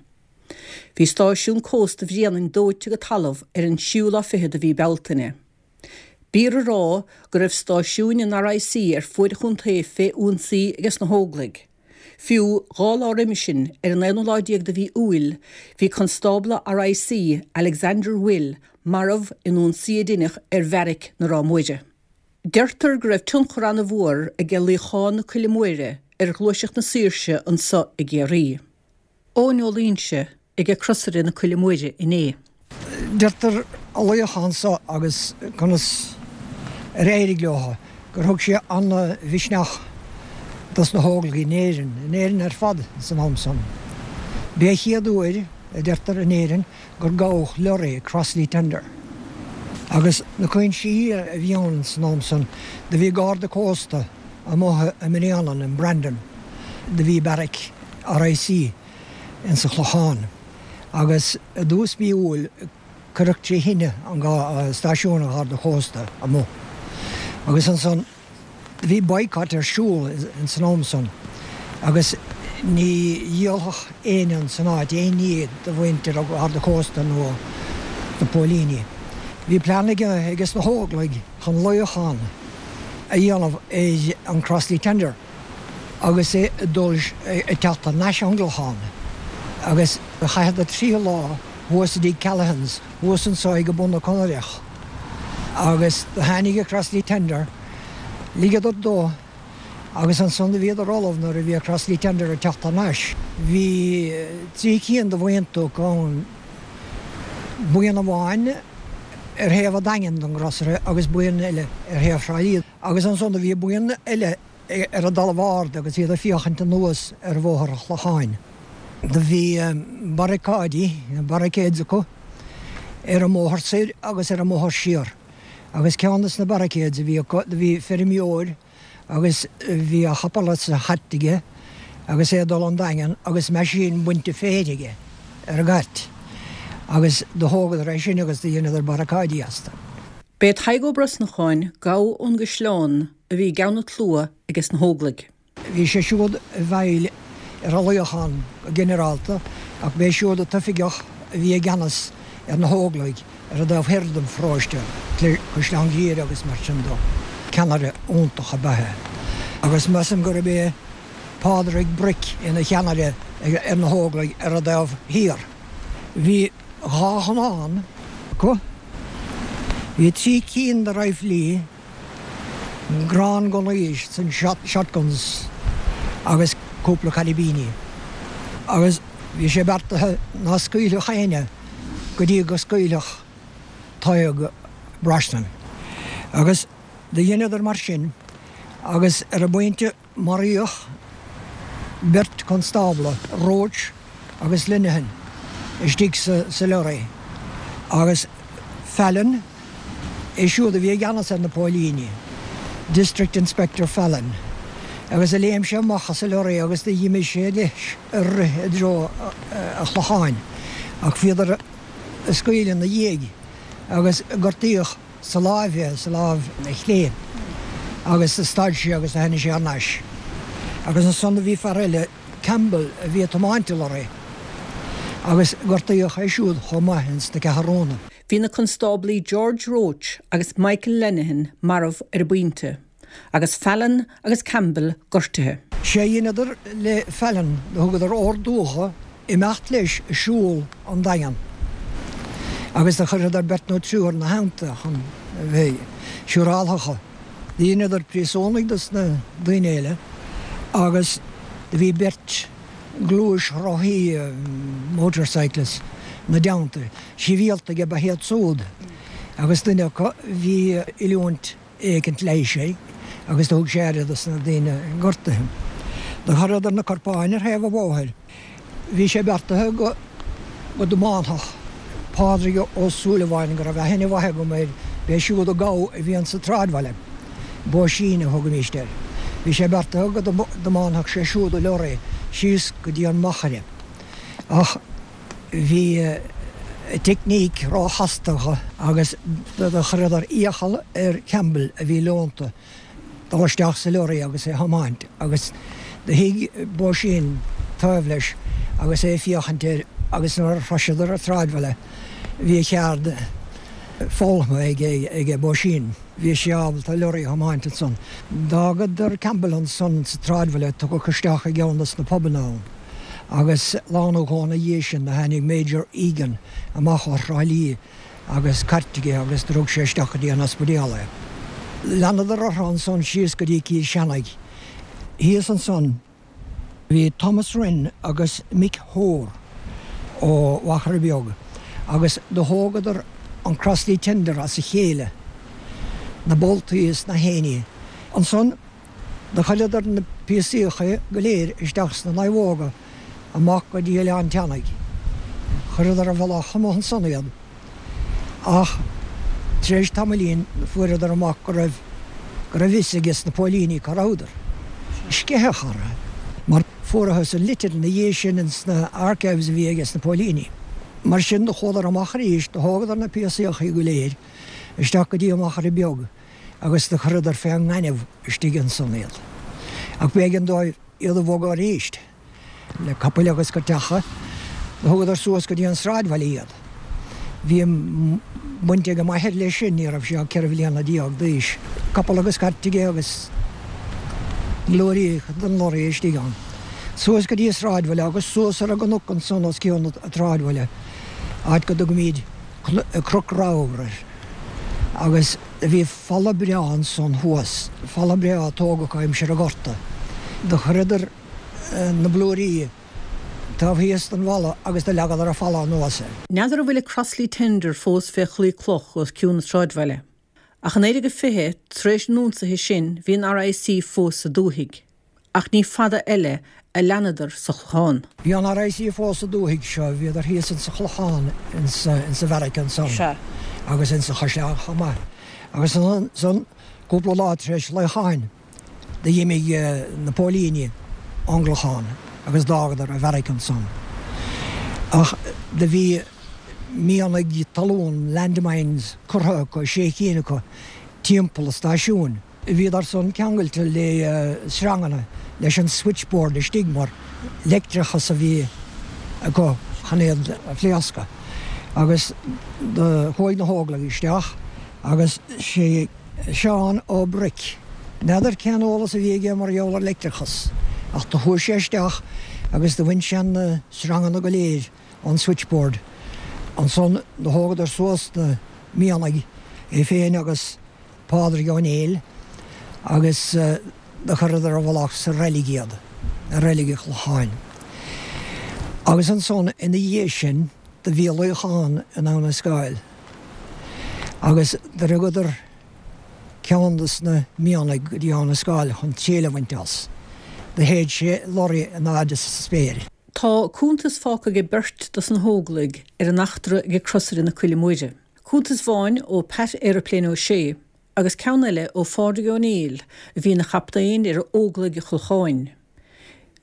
Bhí stáisiún cósta Bhréanainn dóite go talamh ar an tríú lá fichead de mhí Bealtaine. B'fhíor a rá go raibh stáisiúin an RIC ar fuaid an chontae fé ionsaí ages na hÓglaigh. Fiú dhá lá roimis sin, ar an aonú lá déag de mhí Iúil, bhí constábla RIC, Alexander Will, marbh in ionsaí a deineadh ar bheairic na Ráth Móire. Deirtear go raibh tionchar ana-mhór aige luíochán na Coille Móire ar ghluaiseacht na saoirse anso i gCiarraí. Eoin Ó Loingsigh aige Crosaire na Coille Móire inné. Deirtear an luíochán so agus conas ar éirigh leo gur thug sé ana-mhisneach dos na hÓglaigh in Éirinn, in Éirinn ar fad san am san. B'é an chéad uair, a deirtear, in Éirinn gur gabhadh lorry, Crossley Tender. Agus na cuinsí a bhí ann san am san, do bhí Garda Cósta amuigh i mBréanainn, in Brandon, do bhí beairic RIC insa Chlochán agus i dtús mí Iúil cuireadh trí thine an stáisiún an Gharda Chósta amuigh agus ansan do bhí boycott ar siúl ins an am san agus ní dhíolfadh éinne ins an áit aon ní do mhuintir an Gharda Chósta nó na póilíní. Bhí plean aige ages na hÓglaigh chun luíochán a dhéanamh ar an Crossley Tender. agus é ag dul ag teacht thar n-ais ón gClochán agus chaitheadar trí lá thuas i dtigh Callaghan's thuas anso ag bun na Conaireach agus do tháinig an Crossley Tender, ligeadar dó agus ansan do bhíodar ullamh nuair a bhí an Crossley Tender ag teacht thar n-ais. Bhí trí cinn de bhuíonta acu ann, buíon amháin ar thaobh an Daingin den gcrosaire agus buíon eile ar thaobh Thrá Lí agus ansan do bhí buíon eile ar an dtalamh ard agus iad ag féachaint anuas ar Bhóthar an Chlocháin. Do bhí barricáidí, barricades, acu ar an mbóthar soir agus ar an mbóthar siar. Agus ceann de na barricades a bhí acu, do bhí feirmeoir agus bhí a chapall is a chairt aige agus é ag dul 'on Daingean agus meaisín bainte féir aige ar an gcairt. Agus do thógadar é sin agus do dheineadar barricáidí astu. B'é Tadhg Ó Brosnacháin, gabha ón gCaisleán, a bhí i gceann an tslua ages na hÓglaigh. Bhí sé siúd i bhfeighil ar an luíochán go ginearálta ach b'é siúd an t-oifigeach a bhí i gceannas ar na hÓglaigh ar an dtaobh thoir den pharóiste, Caisleán Ghriaire agus mar sin dó. Ceannaire iontach ab ea é agus measaim gurb é Pádraig Bric ina cheannaire ar na hÓglaigh ar an dtaobh thiar. Bhí dhá ghunnán acu. Bhí trí cinn de raidhfilí, gránghunnaí san shotguns agus cúpla cairibíní. Agus bhí sé beartaithe ná scaoilfeadh éinne go dtí go scaoilfeadh Tadhg Brosnan. Agus do dheineadar mar sin agus ar an bpointe maraíodh beirt constábla, Roche agus Linehan, istigh sa lorry agus Fallon, é siúd a bhí i gceannas ar na póilíní, District Inspector Fallon, agus a léim sé amach as an lorry agus do dh'imigh sé leis ag rith i dtreo an Chlocháin ach bhíodar ag scaoileadh ina dhiaidh agus gortaíodh sa láimh é, sa láimh chlé agus do stad sé agus do tháinig sé thar n-ais. Agus ansan do bhí fear eile, Campbell, a bhí ag tiomáint an lorry agus gortaíodh é siúd chomh maith ins na ceathrúna. Bhí na constáblaí George Roche agus Michael Lenihan marbh ar an bpointe, agus Fallon agus Campbell gortaithe. Sé a dheineadar le Fallon, do thugadar ordú dho imeacht leis ag siúl 'on Daingean agus do chuireadar beirt nó triúr 'na theannta chun a bheith siúráltha dho. Do dheineadar príosúnaigh dos na daoine eile agus do bhí beirt gluaisrothaí, motorcyclists, 'na dteannta. Sibhialtaigh ab ea iad súd agus duine acu bhí oiliúint éicint leighis aige agus do thug sé aire dos na daoine gortaithe. Do chuireadar na corpáin ar thaobh an bhóthair. Bhí sé beartaithe go go dtiomáinfeadh Pádraig Ó Súilleabháin, go raibh aithne mhaith agam air, b'é siúd an gabha a bhí insa tsráidbhaile, Bóisín a thugaimíst air. Bhí sé beartaithe go dtiomáinfeadh sé siúd an leoraí síos go dtí an Machaire. Ach bhí teicníc róchasta acu agus do chuireadar iachall ar Campbell, a bhí leonta, dul isteach sa leoraí agus é a thiomáint agus do shuigh Bóisín taobh leis agus é ag féachaint air agus nuair a shroiseadar an tsráidbhaile bhí a cheard foghlamtha aige Bóisín. Bhí sé ábalta an leoraí a thiomáint ansan. D'fhágadar Campbell ansan sa tsráidbhaile, tugadh isteach i gceann dos na pubanna ann agus lá nó dhó ina dhiaidh sin do tháinig Major Egan amach ó Thrá Lí agus cairt aige agus do rug sé isteach go dtí an ospidéal é. Leanadar orthu ansan síos go dtí Cill Chainnigh. Thíos ansan bhí Thomas Wren agus Mick Hoare ó Mhachaire Beag agus do thógadar an Crossley Tender as a chéile, na boltaí is na haon ní. Ansan do chuireadar na píosaíocha go léir isteach sna naomhóga amach go dtí Oileán Teannaigh. Chuireadar i bhfolach amuigh ansan iad. Ach tar éis tamaillín fuaireadar amach go raibh go raibh fhios ages na póilíní cá rabhadar. Sceitheadh orthu, mar fuarathas an litir ina dhiaidh sin ins na archives a bhí ages na póilíní. Mar sin do chuadar amach arís, do thógadar na píosaíochaí go léir isteach go dtí an Machaire Beag agus do chuireadar fén ngaineamh istigh ansan iad. Ach b'éigean dóibh iad a bhogadh arís. Le capaill agus cairteacha, do thugadar suas go dtí an sráidbhaile iad. Bhí baint ag m'athair leis sin, ní raibh sé ach ceithre bhliana déag d'aois. Capall agus cairt aige agus blúirí den lorry istigh ann. Suas go dtí an sráidbhaile agus suas ar an gcnoc ansan os cionn an tsráidbhaile, áit go dtugaimíd Cnoc Ramhar air. Agus bhí falla breá ansan thuas, falla breá a tógadh aimsir an Ghorta. Do chuireadar na blúirí taobh thíos den bhfalla agus do leagadar an falla anuas air. N'fheadar an bhfuil an Crossley Tender fós fé chlaí cloch os cionn an tsráidbhaile. Ach i naoi déag a fiche, tar éis an ionsaithe sin, bhí an RIC fós sa dúthaigh. Ach ní fada eile a leanadar sa Chlochán. Bhí an RIC fós sa dúthaigh seo, bhíodar thíos insa Chlochán, insa bheairic ansan agus insa Chaisleán chomh maith. Agus ansan, cúpla lá tar éis luíocháin, d'imigh na póilíní ón gClochán agus d'fhágadar an bheairic ansan. Ach do bhí mianaigh talún, landmines, curtha acu, sé cinn acu, timpeall an stáisiúin. Bhíodar san ceangailte le sreanganna leis an switchboard istigh mar leictreachas a bhí acu chun iad a phléascadh. Agus do chuaigh na hÓglaigh isteach agus sé Seán Ó Bric, n'fheadar cén eolas a bhí aige mar gheall ar leictreachas, ach do chuaigh sé isteach agus do bhain sé na sreanganna go léir ón switchboard. Ansan do thógadar suas na mianaigh, é féin agus Pádraig Ó Néill, agus do chuireadar i bhfolach sa reilig iad, i reilig an Chlocháin. Agus ansan ina dhiaidh sin do bhí luíochán in Abha na Scáil agus do rugadar ceann dos na mianaigh go dtí Abha na Scáil chun triail a bhaint as. Do shéid sé lorry in airde sa spéir. Tá cuntas fágtha ag beirt dos na hÓglaigh ar an eachtra ag Crosaire na Coille Móire. Cuntas amháin ó Pat Aeroplane Ó Sé agus ceann eile ó Phádraig Ó Néill a bhí ina chaptaen ar Óglaigh an Chlocháin.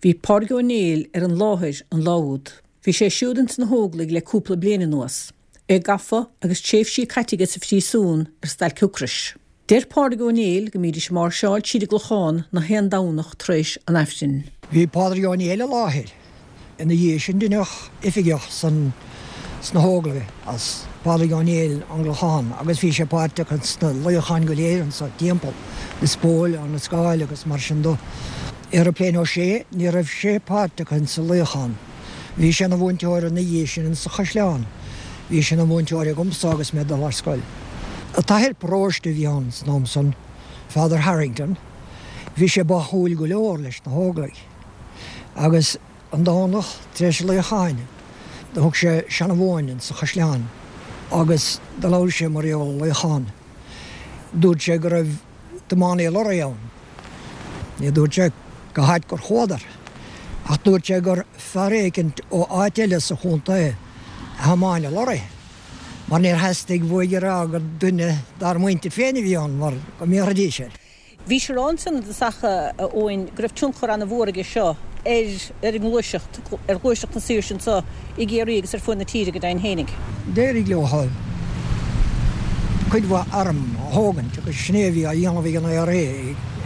Bhí Pádraig Ó Néill ar an láthair an lá úd. Bhí sé siúd ins na hÓglaigh le cúpla bliain anuas. É gafa agus tréimhsí caite aige sa phríosún ar stailc ocrais. Deir Pádraig Ó Néill go mbídís ag máirseáil tríd an gClochán na haon Domhnach tar éis an Aifrinn. Bhí Pádraig Ó Néill i láthair. Ina dhiaidh sin deineadh oifigeach san sna hÓglaigh as Pádraig Ó Néill ón gClochán agus bhí sé páirteach sna luíocháin go léir anso timpeall, Lios Póil, Abha na Scáil agus mar sin do. Aeroplane Ó Sé, ní raibh sé páirteach insa luíochán. Bhí sé ina mhúinteoir ina dhiaidh sin insa Chaisleán. Bhí sé ina mhúinteoir agamsa agus mé ag dul ar scoil. An t-athair paróiste a bhí ann san am san, Father Harrington, bhí sé báúil go leor leis na hÓglaigh. Agus an Domhnach tar éis an luíocháin, do thug sé seanmóin insa Chaisleán agus do labhair sé mar gheall ar an luíochán. Dúirt sé go raibh tiománaí lorraí ann. Ní dúirt sé cá háit gur chuadar, ach dúirt sé gur fear éicint ó áit eile sa chontae a thiomáin an lorraí, mar níor theastaigh uaidh a rá gur duine dár muintir féin a bhí ann mar go mbéarfaidís air. Bhí sé ráite ansan i dtosach, a Eoin, go raibh tionchar an-mhór aige seo ar ar an ngluaiseacht, ar ghluaiseacht na saoirse anso i gCiarraí agus ar fuaid na tíre go deimhin fhéinig. D'éirigh leo cuid mhaith arm a thógaint agus sin é a bhí á dhéanamh ag an IRA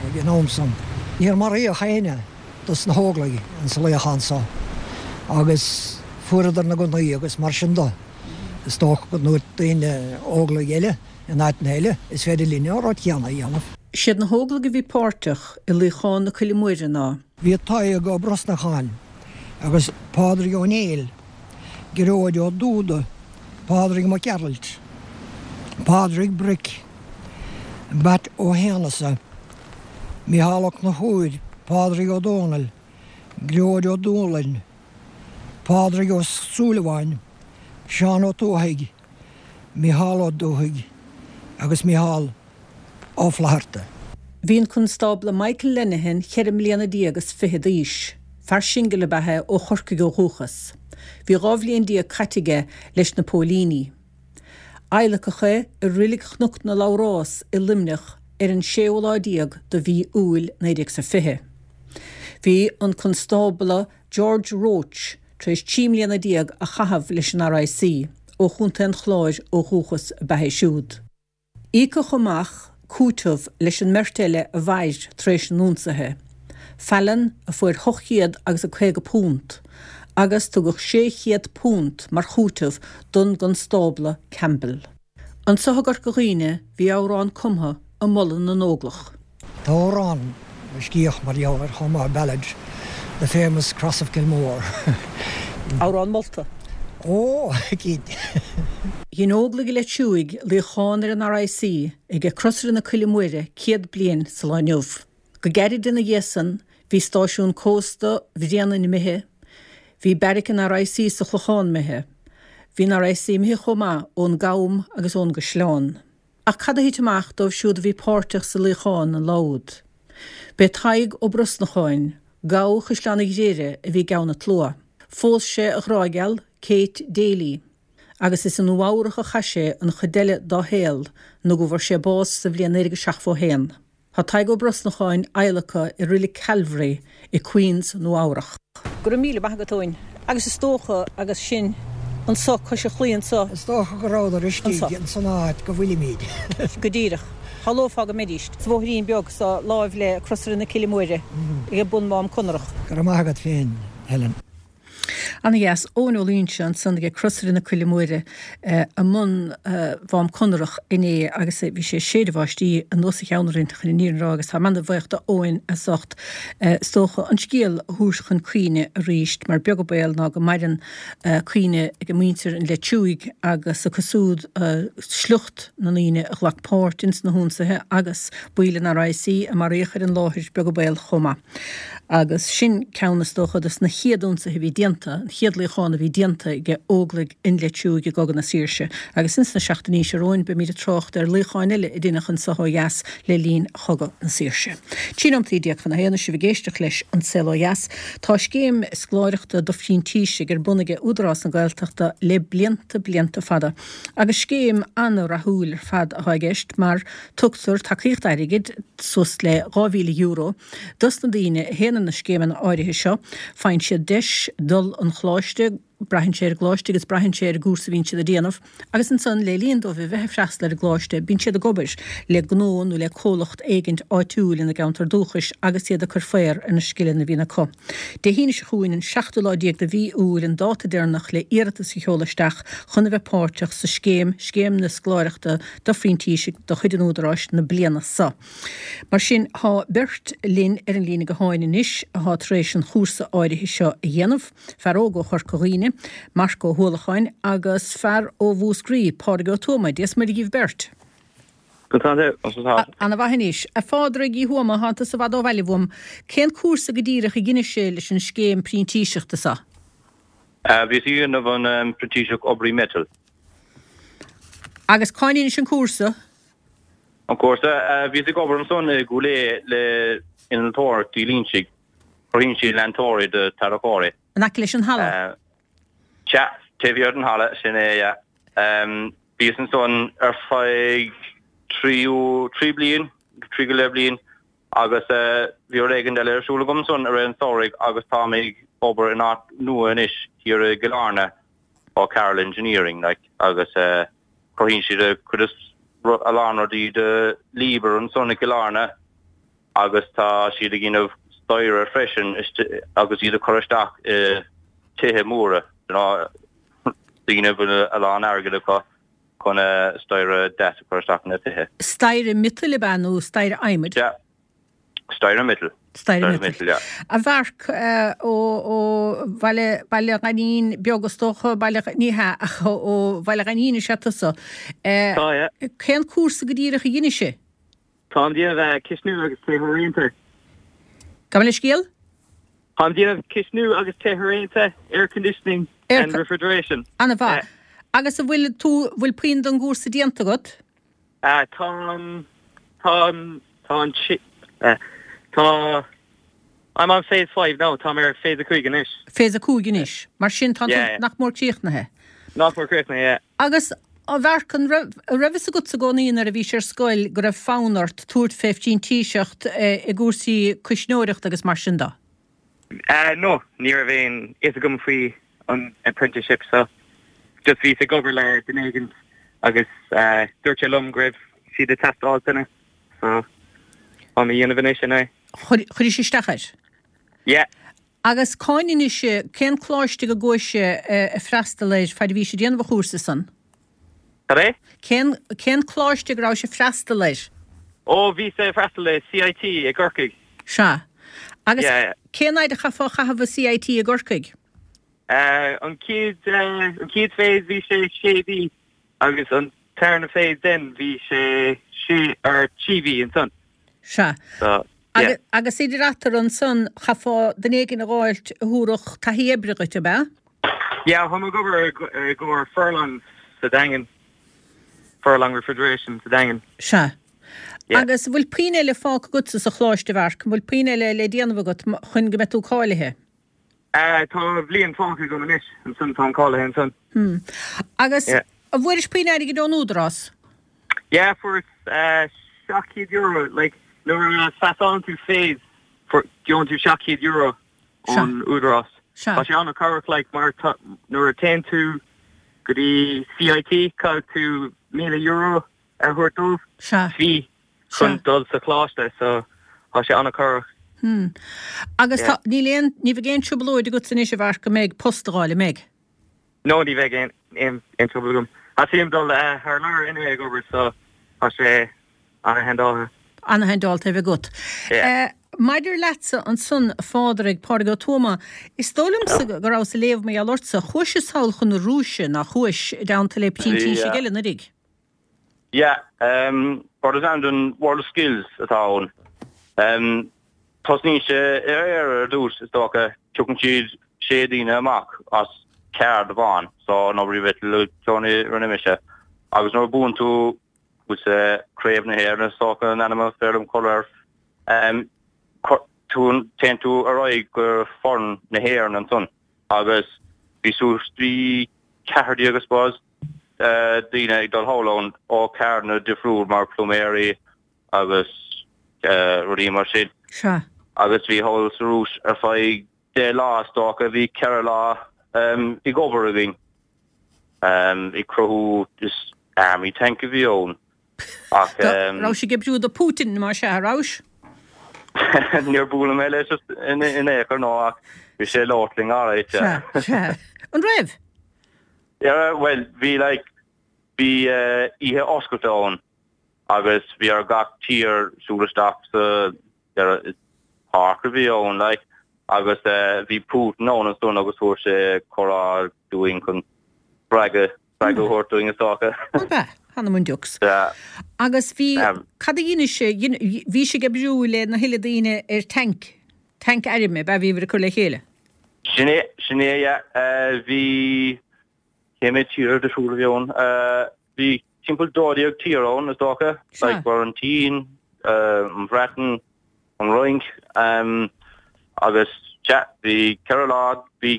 ag an am san. Níor maraíodh éinne dos na hÓglaigh insa luíochán so agus fuaireadar na gunnaí agus mar sin do. Is dócha go ndúirt daoine Óglaigh eile in áiteanna eile, is féidir linne an rud céanna a dhéanamh. Siad na hÓglaigh a bhí páirteach i luíochán na Coille Móire ná. Bhí Tadhg Ó Brosnacháin agus Pádraig Ó Néill, Gearóid Ó Dúda, Pádraig Mac Gearailt, Pádraig Bric, Batt Ó hAonghusa, Mícheál Ó Conchúir, Pádraig Ó Dónaill, Gearóid Ó Dúlainn, Pádraig Ó Súilleabháin, Seán Ó Tuathaigh, Mícheál Ó Dubhthaigh agus Mícheál Ó Flatharta. Bhí an Constábla Michael Lenihan ceithre mbliana déag is fiche d'aois. Fear singil ab ea é ó Chorcaigh ó dhúchas. Bhí dhá bhliain déag caite aige leis na póilíní. Adhlacadh é i Reilig Chnoc na Labhrás i Luimneach ar an séú lá déag de mhí Iúil naoi déag 's a fiche. Bhí an Constábla George Roche tar éis trí mbliana déag a chaitheamh leis an RIC, ó Chontae an Chláir ó dhúchas ab ea é siúd. Íocadh amach cúiteamh leis an mbeirt eile a mhair tar éis an ionsaithe, Fallon a fuair hocht chéad agus a caoga punt, agus tugadh sé chéad punt mar chúiteamh don gConstábla Campbell. Anso i gCorca Dhuibhne bhí amhrán cumtha ag moladh na nÓglach. Tá amhrán a scríodh mar gheall air chomh maith, Ballad, The Famous Cross of Kilmore. Amhrán molta. Ó, cinnte. Dhein Óglaigh Leitir Fraic luíochán ar an RIC ag Crosaire na Coille Móire céad bliain sa lá inniu. Go gairid ina dhiaidh san bhí stáisiún cósta Bhréanainn imithe, bhí beairic an RIC sa Chlochán imithe, bhí an RIC imithe chomh maith ón gCam agus ón gCaisleán. Ach cad a thit amach dóibh siúd a bhí páirteach sa luíochán an lá úd? B'é Tadhg Ó Brosnacháin, gabha Chaisleán an Ghriaire, a bhí i gceann an tslua. Phós sé a ghrá geal, Kate Daly, agus is i Nua Eabhrach a chaith sé an chuid eile dá shaol nó go bhfuair sé bás sa bhliain naoi déag seachtó a haon. Tá Tadhg Ó Brosnacháin adhlactha i Reilig Calvary i Queens, Nua Eabhrach. Go raibh míle maith agat, Eoin. Agus is dócha, agus sinn anso cois an chlaí anso. Is dócha go rabhadar istigh ins an áit go bhfuilimíd. Go díreach. Shamhlófá go mbeidís sa bhóithrín beag so láimh le Crosaire na Cille Móire ag bun Mhám Conrach. Go raibh maith agat féin, Helen. Ana-dheas. Eoin Ó Loingsigh ansan ag Crosaire na Coille Móire i mbun Mhám Conrach inné agus bhí sé ag séideadh báistí anuas a cheann orainn chun an fhírinne a rá agus táim ana-bhuíoch d'Eoin as ucht is dócha an scéal a thabhairt chun cuimhne arís mar beag an baol ná go maireann cuimhne ag muintir an Leitriúigh agus acu siúd sliocht na ndaoine a ghlac páirt ins na hionsaithe agus baill an RIC a maraíodh ar an láthair beag an baol chomh maith. Agus sin ceann is dócha dos na chéad ionsaithe a bhí déanta, an chéad luíochán a bhí déanta ag Óglaigh an Leitriúigh i gCogadh na Saoirse. Agus ins na seachtainí seo romhainn beimid ag trácht ar luíocháin eile a deineadh anso ó dheas le linn Chogadh na Saoirse. Trí nóimeataí déag chun a haon is sibh ag éisteacht leis An Saol Ó Dheas. Tá scéim scoláireachta do phrintísigh ar bun aige Údarás na Gaeltachta le blianta blianta fada. Agus scéim an-rathúil ar fad atá i gceist mar tugtar tacaíocht airgid, suas le dhá mhíle euro, dos na daoine a théann ar na scéimeanna áirithe seo. Faigheann siad deis dul 'un choláiste, braitheann sé ar an gcoláiste agus braitheann sé ar an gcúrsa a bhíonn siad a déanamh, agus ansan le linn dóibh a bheith ag freastal ar an gcoláiste bíonn siad ag obair le gnó nó le comhlacht éigint áitiúil ina gceantar dúchais agus iad ag cur faobhar ar na scileanna a bhíonn acu. Dé hAoine seo chugainn an seachtú lá déag de mhí Iúil an dáta deireanach le iarratas a sheoladh isteach chun a bheith páirteach sa scéim, Scéim na Scoláireachta do Phrintísigh de chuid an Údaráis na bliana seo. Mar sin, tá beirt linn ar an líne gutháin anois atá tar éis an chúrsa áirithe seo a dhéanamh, fear óg ó Chorca Dhuibhne, Marc Ó hUallacháin, agus fear ó Mhúscraí, Pádraig Ó Tuama. Dia 's Muire dhíbh beirt. Ana-mhaith anois. A Phádraig Uí Thuama, thánn tusa i bhfad ó bhaile uaim. Cén cúrsa go díreach a dheinis-se leis an scéim printíseachta seo? Bhíos ag déanamh an printíseacht oibrí miotail. Agus cá ndeinis an cúrsa? An cúrsa? Bhíos ag obair ansan i gCúil Aodha le Innealtóireacht Uí Loingsigh. Cruthaíonn siad leantóirí do tarracóirí. In aice leis an halla? Sea, taobh thiar den halla, sin é, yeah. Bhíos ansan ar feadh trí, trí bliain, trí go leith bliain agus bhí rud éigin eile ar siúl agam ansan i rith an tsamhraidh agus táim ag obair in áit nua anois thiar i gCill Airne, O'Carroll Engineering, like, agus cruthaíonn siad a cuid is a lán rudaí do Liebherr ansan i gCill Airne agus tá siad ag déanamh staighre freisin agus iad a chur isteach i tithe móra, you know, daoine a bhfuil a lán airgead acu chun staighre deas a chur isteach ina tithe. Staighre miotail ab ea nó staighre adhmaid? Sea. Staighre miotail. Staighre miotail, yeah. A Mharc, ó Bhaile, Baile Ghainín beag is dócha, Baile, ní hea, ach ó Bhaile Ghainín is ea tusa. Tá, yeah. Cén cúrsa go díreach a dheinis-se? Táim déanamh cisteanú agus tithe raonta. Gabh mo leithscéal? Táim déanamh cisteanú agus tithe raonta, air conditioning and refrigeration. Ana-mhaith. Agus an bhfuil tú, bhfuil puinn den gcúrsa déanta agat? Tá an, tá an, tá an, tá, I'm on phase five now, táim ar phase a cúig anois. Phase a cúig anois. Mar sin tá tú nach mór críochnaithe. Nach mór críochnaithe, yeah. Agus a Mharc, an raibh, an raibh fhios agatsa i gcónaí nuair a bhís ar scoil go raibh fonn ort tabhairt fé phrintíseacht i gcúrsaí cuisneoireachta agus mar sin de? No, ní raibh aon fhios agam faoi an apprenticeship so just bhíos ag obair le duine éigin agus dúirt sé liom go raibh siad ag teastáil duine so táim á dhéanamh anois anyway. Chuiris isteach air? Yeah. Agus cá ndeinis, cén coláiste go gcuais ag freastal air faid a bhís ag déanamh an chúrsa san? Cad é? Cén, cén coláiste go rabhais ag freastal air? Ó, bhíos ag freastal i CIT i gCorcaigh. Sea. Agus Yeah. cén fhaid a chaithfeá a chaitheamh i CIT i gCorcaigh? Eh, an chéad, eh, an chéad phase bhí sé sé mhí agus an tarna phase then bhí sé sé or trí mhí ansan. Sea. So, yeah. Agus idir eatarthu ansan chaithfeá duine éigin a dh'fháilt a thabharfadh taithí oibre dhuit, ab ea? Yeah, táim ag obair i gcomhair Furlongs sa Daingean. Furlong Refrigeration sa Daingean. Sea. Yeah. Agus an bhfuil puinn eile fágtha agatsa sa choláiste, a Mharc, an bhfuil puinn eile le déanamh agat chun go mbeidh tú cáilithe? Uh, tá bliain fágtha agam anois, ansan táim cáilithe ansan. Hmm. Agus Yeah. an bhfuairis puinn airgid ón Údarás? Yeah, fuaireas uh, seacht gcéad euro, like, nuair a phasálann tú phase, fuair, gheobhann tú seacht gcéad euro ón Údarás. Sea. Tá sé an-chabhrach, like, mar tá, nuair a téann tú go dtí C I T, caithfidh tú míle euro a thabhairt dóibh. Sea. Fee chun dul sa choláiste, so tá sé an-chabhrach. Hmm. Agus Yeah. tá, níl aon, ní bheidh aon trioblóid agat anois, a Mharc, go mbeidh post a fháil, an mbeidh? No, ní bheidh aon aon aon trouble agam. Theastaigh uaim dul uh, thar lear anyway ag obair, so tá sé an-handáilte. An-handáilte a bheith agat. Yeah. Uh, Maidir leatsa ansan, a Phádraig, Pádraig Ó Tuama, is dóigh liomsa go rabhas ag léamh mar gheall ortsa, chuais sall chun na Rúise, nach chuais, i dteannta le printísigh Yeah. eile anuraidh. Yeah, um, rud is ainm don World Skills atá ann. Um, tosnaíonn sé ar ar ar dtús is dócha tugann siad sé daoine amach as ceard amháin, so an obair a bhí rinne mise. Agus nuair a buann tú with Craobh na hÉireann is dócha an ainm féidir liom cur air, um, tú téann tú ar aghaidh go foireann na hÉireann ansan. Agus bhí suas trí ceathair déag I suppose uh, daoine ag dul thall ann ó ceirdeanna difriúil mar pluiméirí agus uh, rudaí mar sin. Sea. Agus bhí thall sa Rúis ar feadh deich lá is dócha bhí ceithre lá um, ag obair againn. Um, ag cruthú is army tank a bhí ann. Ach um, Raibh sibh ag oibriú do Putin mar sea a raibh? Níor bhuail mé leis in in aon chor ná ach bhí sé látling áráite. Sea, sea. An raibh? Yeah, well, bhí like bhí uh, oíche oscailte ann agus bhí ar gach tír siúl isteach sa there páirc a bhí ann like agus uh, bhí Putin ann ansan agus thug sé cuireadh dúinn chun spreagadh spreagadh a thabhairt dúinn is dócha. Be, hanna mun dux. Yeah. Agus bhí Um, cad a dhein sé bhí sibh ag oibriú le na huile daoine ar tank tank airm ba bhí cur le chéile. Sin é sin é yeah, uh, bhí cé mhéad tír difriúil a bhí ann uh, bhí timpeall dó dhéag tír ann is dócha Sea. like war an Tsín uh, an Bhreatain an Fhrainc um, agus ja, bhí ceithre lá bhí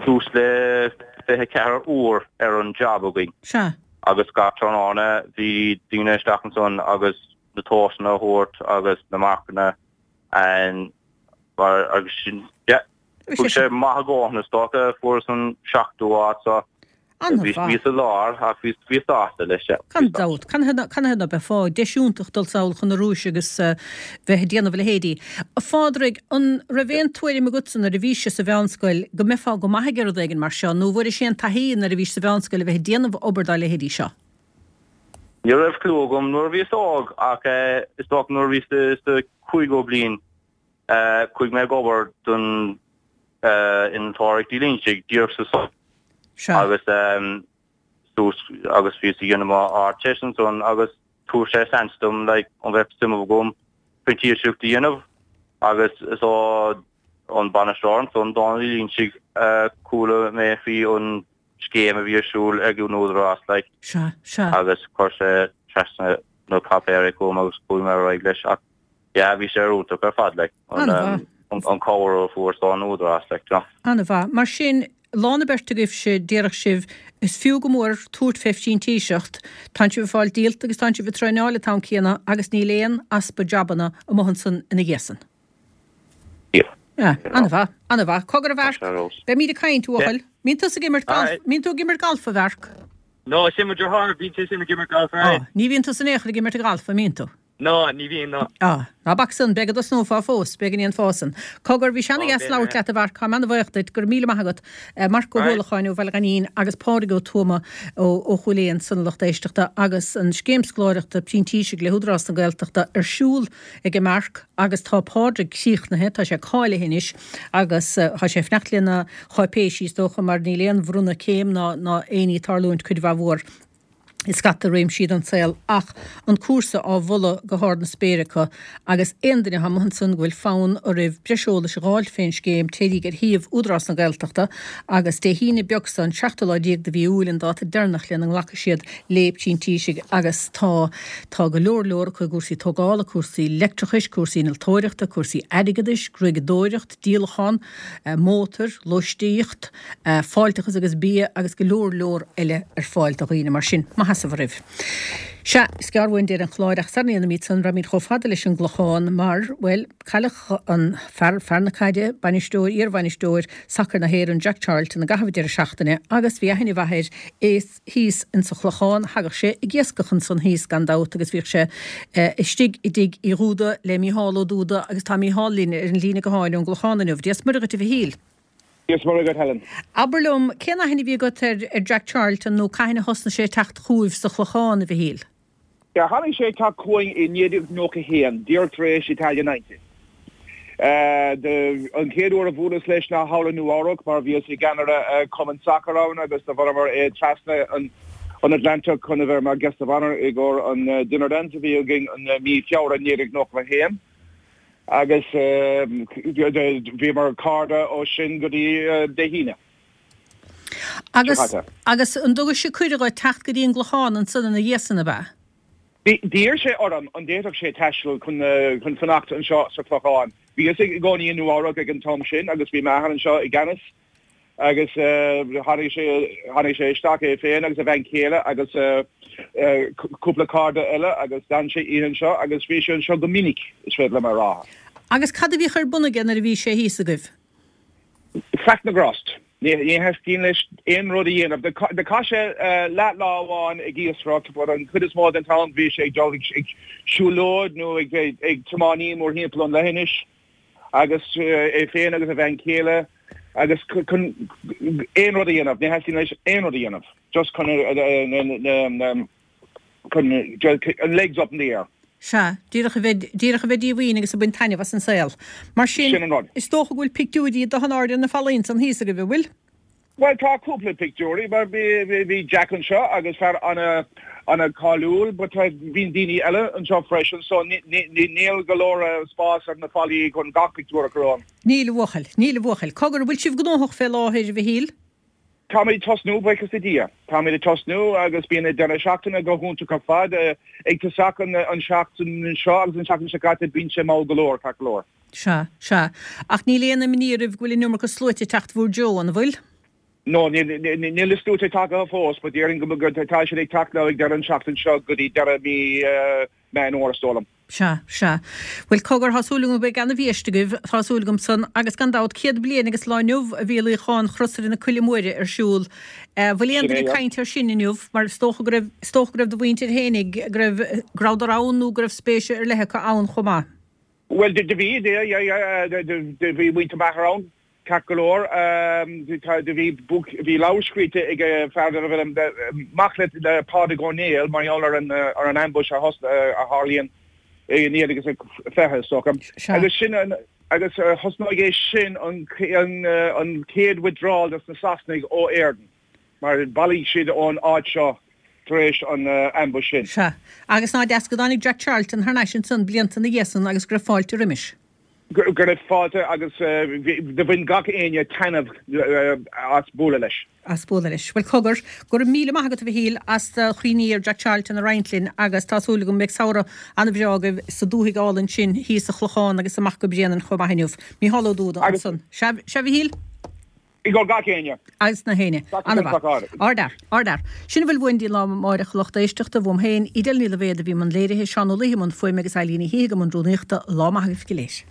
suas le fiche ceathair uair ar an job againn. Sea. Agus gach tráthnóna bhí daoine isteach ansan agus na tomhaiseanna a thabhairt agus na marcanna an war agus sin yeah, Bhí sé maith go is dócha fuaireas an seachtú háit so bhí An-mhaith. bhí sa lár ach bhí bhí sásta leis se. Gan dabht, can can na be fá deisiúntach dul sall chun na Rúise agus uh, bheith ag déanamh a leithéidí. A Phádraig, an raibh aon tuairim agatsa nuair a bhís sa mheánscoil go mbeifeá go maith ag rud éigin mar seo, nó bhfuair sé an taithí nuair a bhís sa mheánscoil a bheith ag déanamh obair dá leithéidí seo. Ní raibh clue agam nuair a bhíos óg ach eh, is dócha nuair a bhíos sa cúigiú bliain eh, chuaigh mé ag obair don eh, Innealtóireacht Uí Loingsigh díreach sa so Sea. agus um, suas agus bhí ag déanamh Ardteist ansan agus thug sé seans dom like, an bheadh suim agam printíseacht a dhéanamh agus is ó an bainisteoir ansan Dónal Ó Loingsigh uh, chuala mé faoi an scéim a bhí ar siúl ag an Údarás like, Sea, sea. agus chuir sé trasna na páipéirí chugam agus chuaigh mé ar aghaidh leis ach yeah, bhí sé iontach ar fad like, an, An-mhaith. um, an, an cabhair a fuair ón Údarás like, you know. An-mhaith. Mar sin lán na beirt agaibh sé déarfadh sibh is fiú go mór tabhairt fé phrintíseacht, Tá sibh ag fáil díolta agus tá sibh ag traenáil an t-am céanna agus níl aon easpa jabanna amuigh ansan ina dhiaidh san. Yeah. Ja, an-mhaith, an-mhaith. Cogar a Mharc, Tá sé rós. Beimid ag caint uachal. Mbíonn tú ag imirt golf, Alright. mbíonn tú ag imirt galf a Mharc. No, sin mo dheartháir bíonn sé sin ag imirt golf Oh, ní bhíonn tú san éach ag imirt galf a mbíonn tú. No, ní bhíonn no. Ah, ná bac san beidh do snófá fós, beidh an fásan. Cogar bhí sean Oh, gas b'fhéidir, labhairt leat a Mharc tá mé an-bhuíoch duit gur míle maith agat Marc Ó Right. Hualacháin ó Bhaile Ghainín agus Pádraig Ó Tuama ó ó Chúil Aodha san lucht éisteachta agus an scéim scoláireachta printísigh le hÚdarás na Gaeltachta ar siúl ag Marc agus tá Pádraig críochnaithe tá sé cáilithe anois agus uh, tá sé ag fanacht lena cháipéisí is dócha mar níl aon bhronnadh céim ná ná aon ní tarlúint cuid mhaith mhór. i scata réimsí den saol ach an cúrsa á mholadh go hard na spéire acu agus aon duine atá amuigh ansan go bhfuil fonn oraibh breis eolais a dh'fháilt fén scéim téiríg ar shuíomh Údarás na Gaeltachta agus Dé hAoine beag so an seachtú lá déag de mhí Iúil an dáta deireanach lena nglacfaidh siad le printísigh agus tá tá go leor leor acu i gcúrsaí tógála, cúrsaí leictreachais, cúrsaí innealtóireachta, cúrsaí airgeadais, gruaigeadóireacht, díolachán mótair, lóistíocht, fáilteachas agus bia agus go leor leor eile ar fáil do dhaoine mar sin. Maith as oraibh. Sea, is gearr uainn deireadh an chláir ach sara ndéanaimid san raghaimid chomh fada leis an gClochán mar, bhuel, cailleadh an fear, fear na caide, bainisteoir, iarbhainisteoir sacair na hÉireann, Jack Charlton i gcaitheamh an deireadh seachtaine agus bhí aithne mhaith air is thíos insa Chlochán, thagadh sé ag iascach ansan thíos gan dabht agus bhíodh sé istigh i dtigh Uí Dhúda le Mícheál Ó Dúda agus tá Mícheál linn ar an líne gutháin ón gClochán inniu. Dia 's Muire dhuit a Mhichíl. Dia 's Muire dhuit Helen. Abair liom, cén aithne a bhí agat ar ar Jack Charlton nó cathain a thosnaigh sé ag teacht chugaibh sa Chlochán, a Mhichíl? Yeah, tháinig sé ag teacht chugainn i naoi déag nócha a haon, díreach tar éis Italia Ninety. An chéad uair a bhuaileas leis ná thall i Nua Eabhrac mar bhíos i gceannaire cumann sacair ann agus do bhuaileamar é trasna an an Atlantic chun a bheith mar guest of honour i gcomhair an dinner dance a bhí againn an mí Feabhra naoi déag nócha a haon. Agus bhíomar cairde ó sin go dtí Dé hAoine seo caite. Agus an dtugadh sé cuireadh dhuit teacht go dtí an gClochán ansan ina dhiaidh san, ab ea? Bhí. D'iarr sé orm an bhféadfadh sé taisteal chun chun fanacht anseo sa Chlochán. Bhíos i gcónaí i Nua Eabhrac ag an t-am sin agus bhí m'athair anseo i gceannas. Agus tháinig sé, tháinig sé isteach é féin agus a bhean chéile agus cúpla cairde eile agus d'fhan sé oíche anseo agus bhí sé anseo go minic, is féidir liom a rá. Agus cad a bhíodh ar bun aige nuair a bhí sé thíos agaibh? Faic na ngrást. Ní theastaíonn leis aon rud a dhéanamh. Do chaith sé leath lá amháin ag iascaireacht but an chuid is mó den t-am bhí sé ag dul ag siúlóid nó ag ag tiománaí mórthimpeall an leithinis. Agus é féin agus a bhean chéile agus chun aon rud a dhéanamh, ní theastaíonn leis aon rud a dhéanamh, just chun chun an legs up in the air. Sea, díreach a bheith, díreach a bheith díomhaoin agus ag baint taitneamh as an saol. Mar sin, Sin an rud. is dócha go bhfuil pictiúirí de in airde ar na fallaí ansan thíos agaibh, an bhfuil? Bhuel, tá cúpla pictiúirí, mar bhí Jack anseo agus fear ana-cháiliúil, but bíonn daoine eile anseo freisin, so níl go leor spás ar na fallaí chun gach pictiúr a chur ann. Níl, a bhuachaill. Níl, a bhuachaill. Cogar, an bhfuil sibh gnóthach fé láthair, a Mhichíl? Táimid ag tosnú, buíochas le Dia. Táimid ag tosnú agus bíonn an deireadh seachtaine go hiontach ar fad. Ag tosach an seachtain seo agus an seachtain seo caite bíonn sé mall go leor, ceart go leor. Sea, sea. Ach níl aon imní oraibh go bhfuil an iomarca sluaite ag teacht bhur dtreo, an bhfuil? No, níl na sluaite tagtha fós, but déarfainn go tá siad ag teacht now ag deireadh an seachtain seo go dtí deireadh mí Meán Fhómhair, is dóigh liom. Sea, sea. Bhuel, cogar, tá súil agam go mbeidh ana-bhiaiste agaibh, tá súil agam san, agus gan dabht, céad bliain agus lá inniu a bhí luíochán Chrosaire na Coille Móire ar siúl. Bhfuil aon Sin duine é, ag yeah. caint air sin inniu? Mar is dócha go raibh, is dócha go raibh do mhuintir fhéinig, go raibh, go rabhadar ann nó go raibh spéis ar leith acu ann chomh maith. Bhuel, do bhí, yeah, yeah, yeah, do bhí muintir m'athar ann. Ceart go leor, do bhí book, bhí leabhar scríte ag fear darbh ainm mac le le Pádraig Ó Néill mar gheall ar an ar an ambush a thos a tharlaíonn i naoi déag agus a fiche, is dócha. Agus sin an agus thosnaigh é sin an an an chéad withdrawal dos na Sasanaigh ó Éirinn mar bhailigh siad ón áit seo tar éis an ambush sin. Sea. Agus ná deas go dtáinig Jack Charlton thar n-ais ansan blianta ina dhiaidh san agus go raibh fáilte roimis. Go raibh fáilte agus do bhain gach éinne taitneamh as bualadh leis. As bualadh leis. Bhuel, cogar, go raibh míle maith agat, a Mhichíl, as do chuimhní ar Jack Charlton a roinnt linn agus tá súil agam go mbeidh samhradh an-bhreá agaibh sa dúthaigh álainn sin thíos sa Chlochán agus amach go Bréanainn chomh maith inniu. Mícheál Ó Dúda ansan. Sea, sea, a Mhichíl? I gcomhair gach éinne. Agus na héinne. Ana-mhaith. Ardfhear. Ardfhear. Sin a bhfuil uainn dtí lá amáireach, a lucht éisteachta. Uaim féin, Edel Ní Loibhéad a bhí i mbun léirithe, Seán Ó Laoithe i mbun fuaime agus Eileen Ní Shíthigh i mbun rúnaíochta. Lá maith agaibh go léir.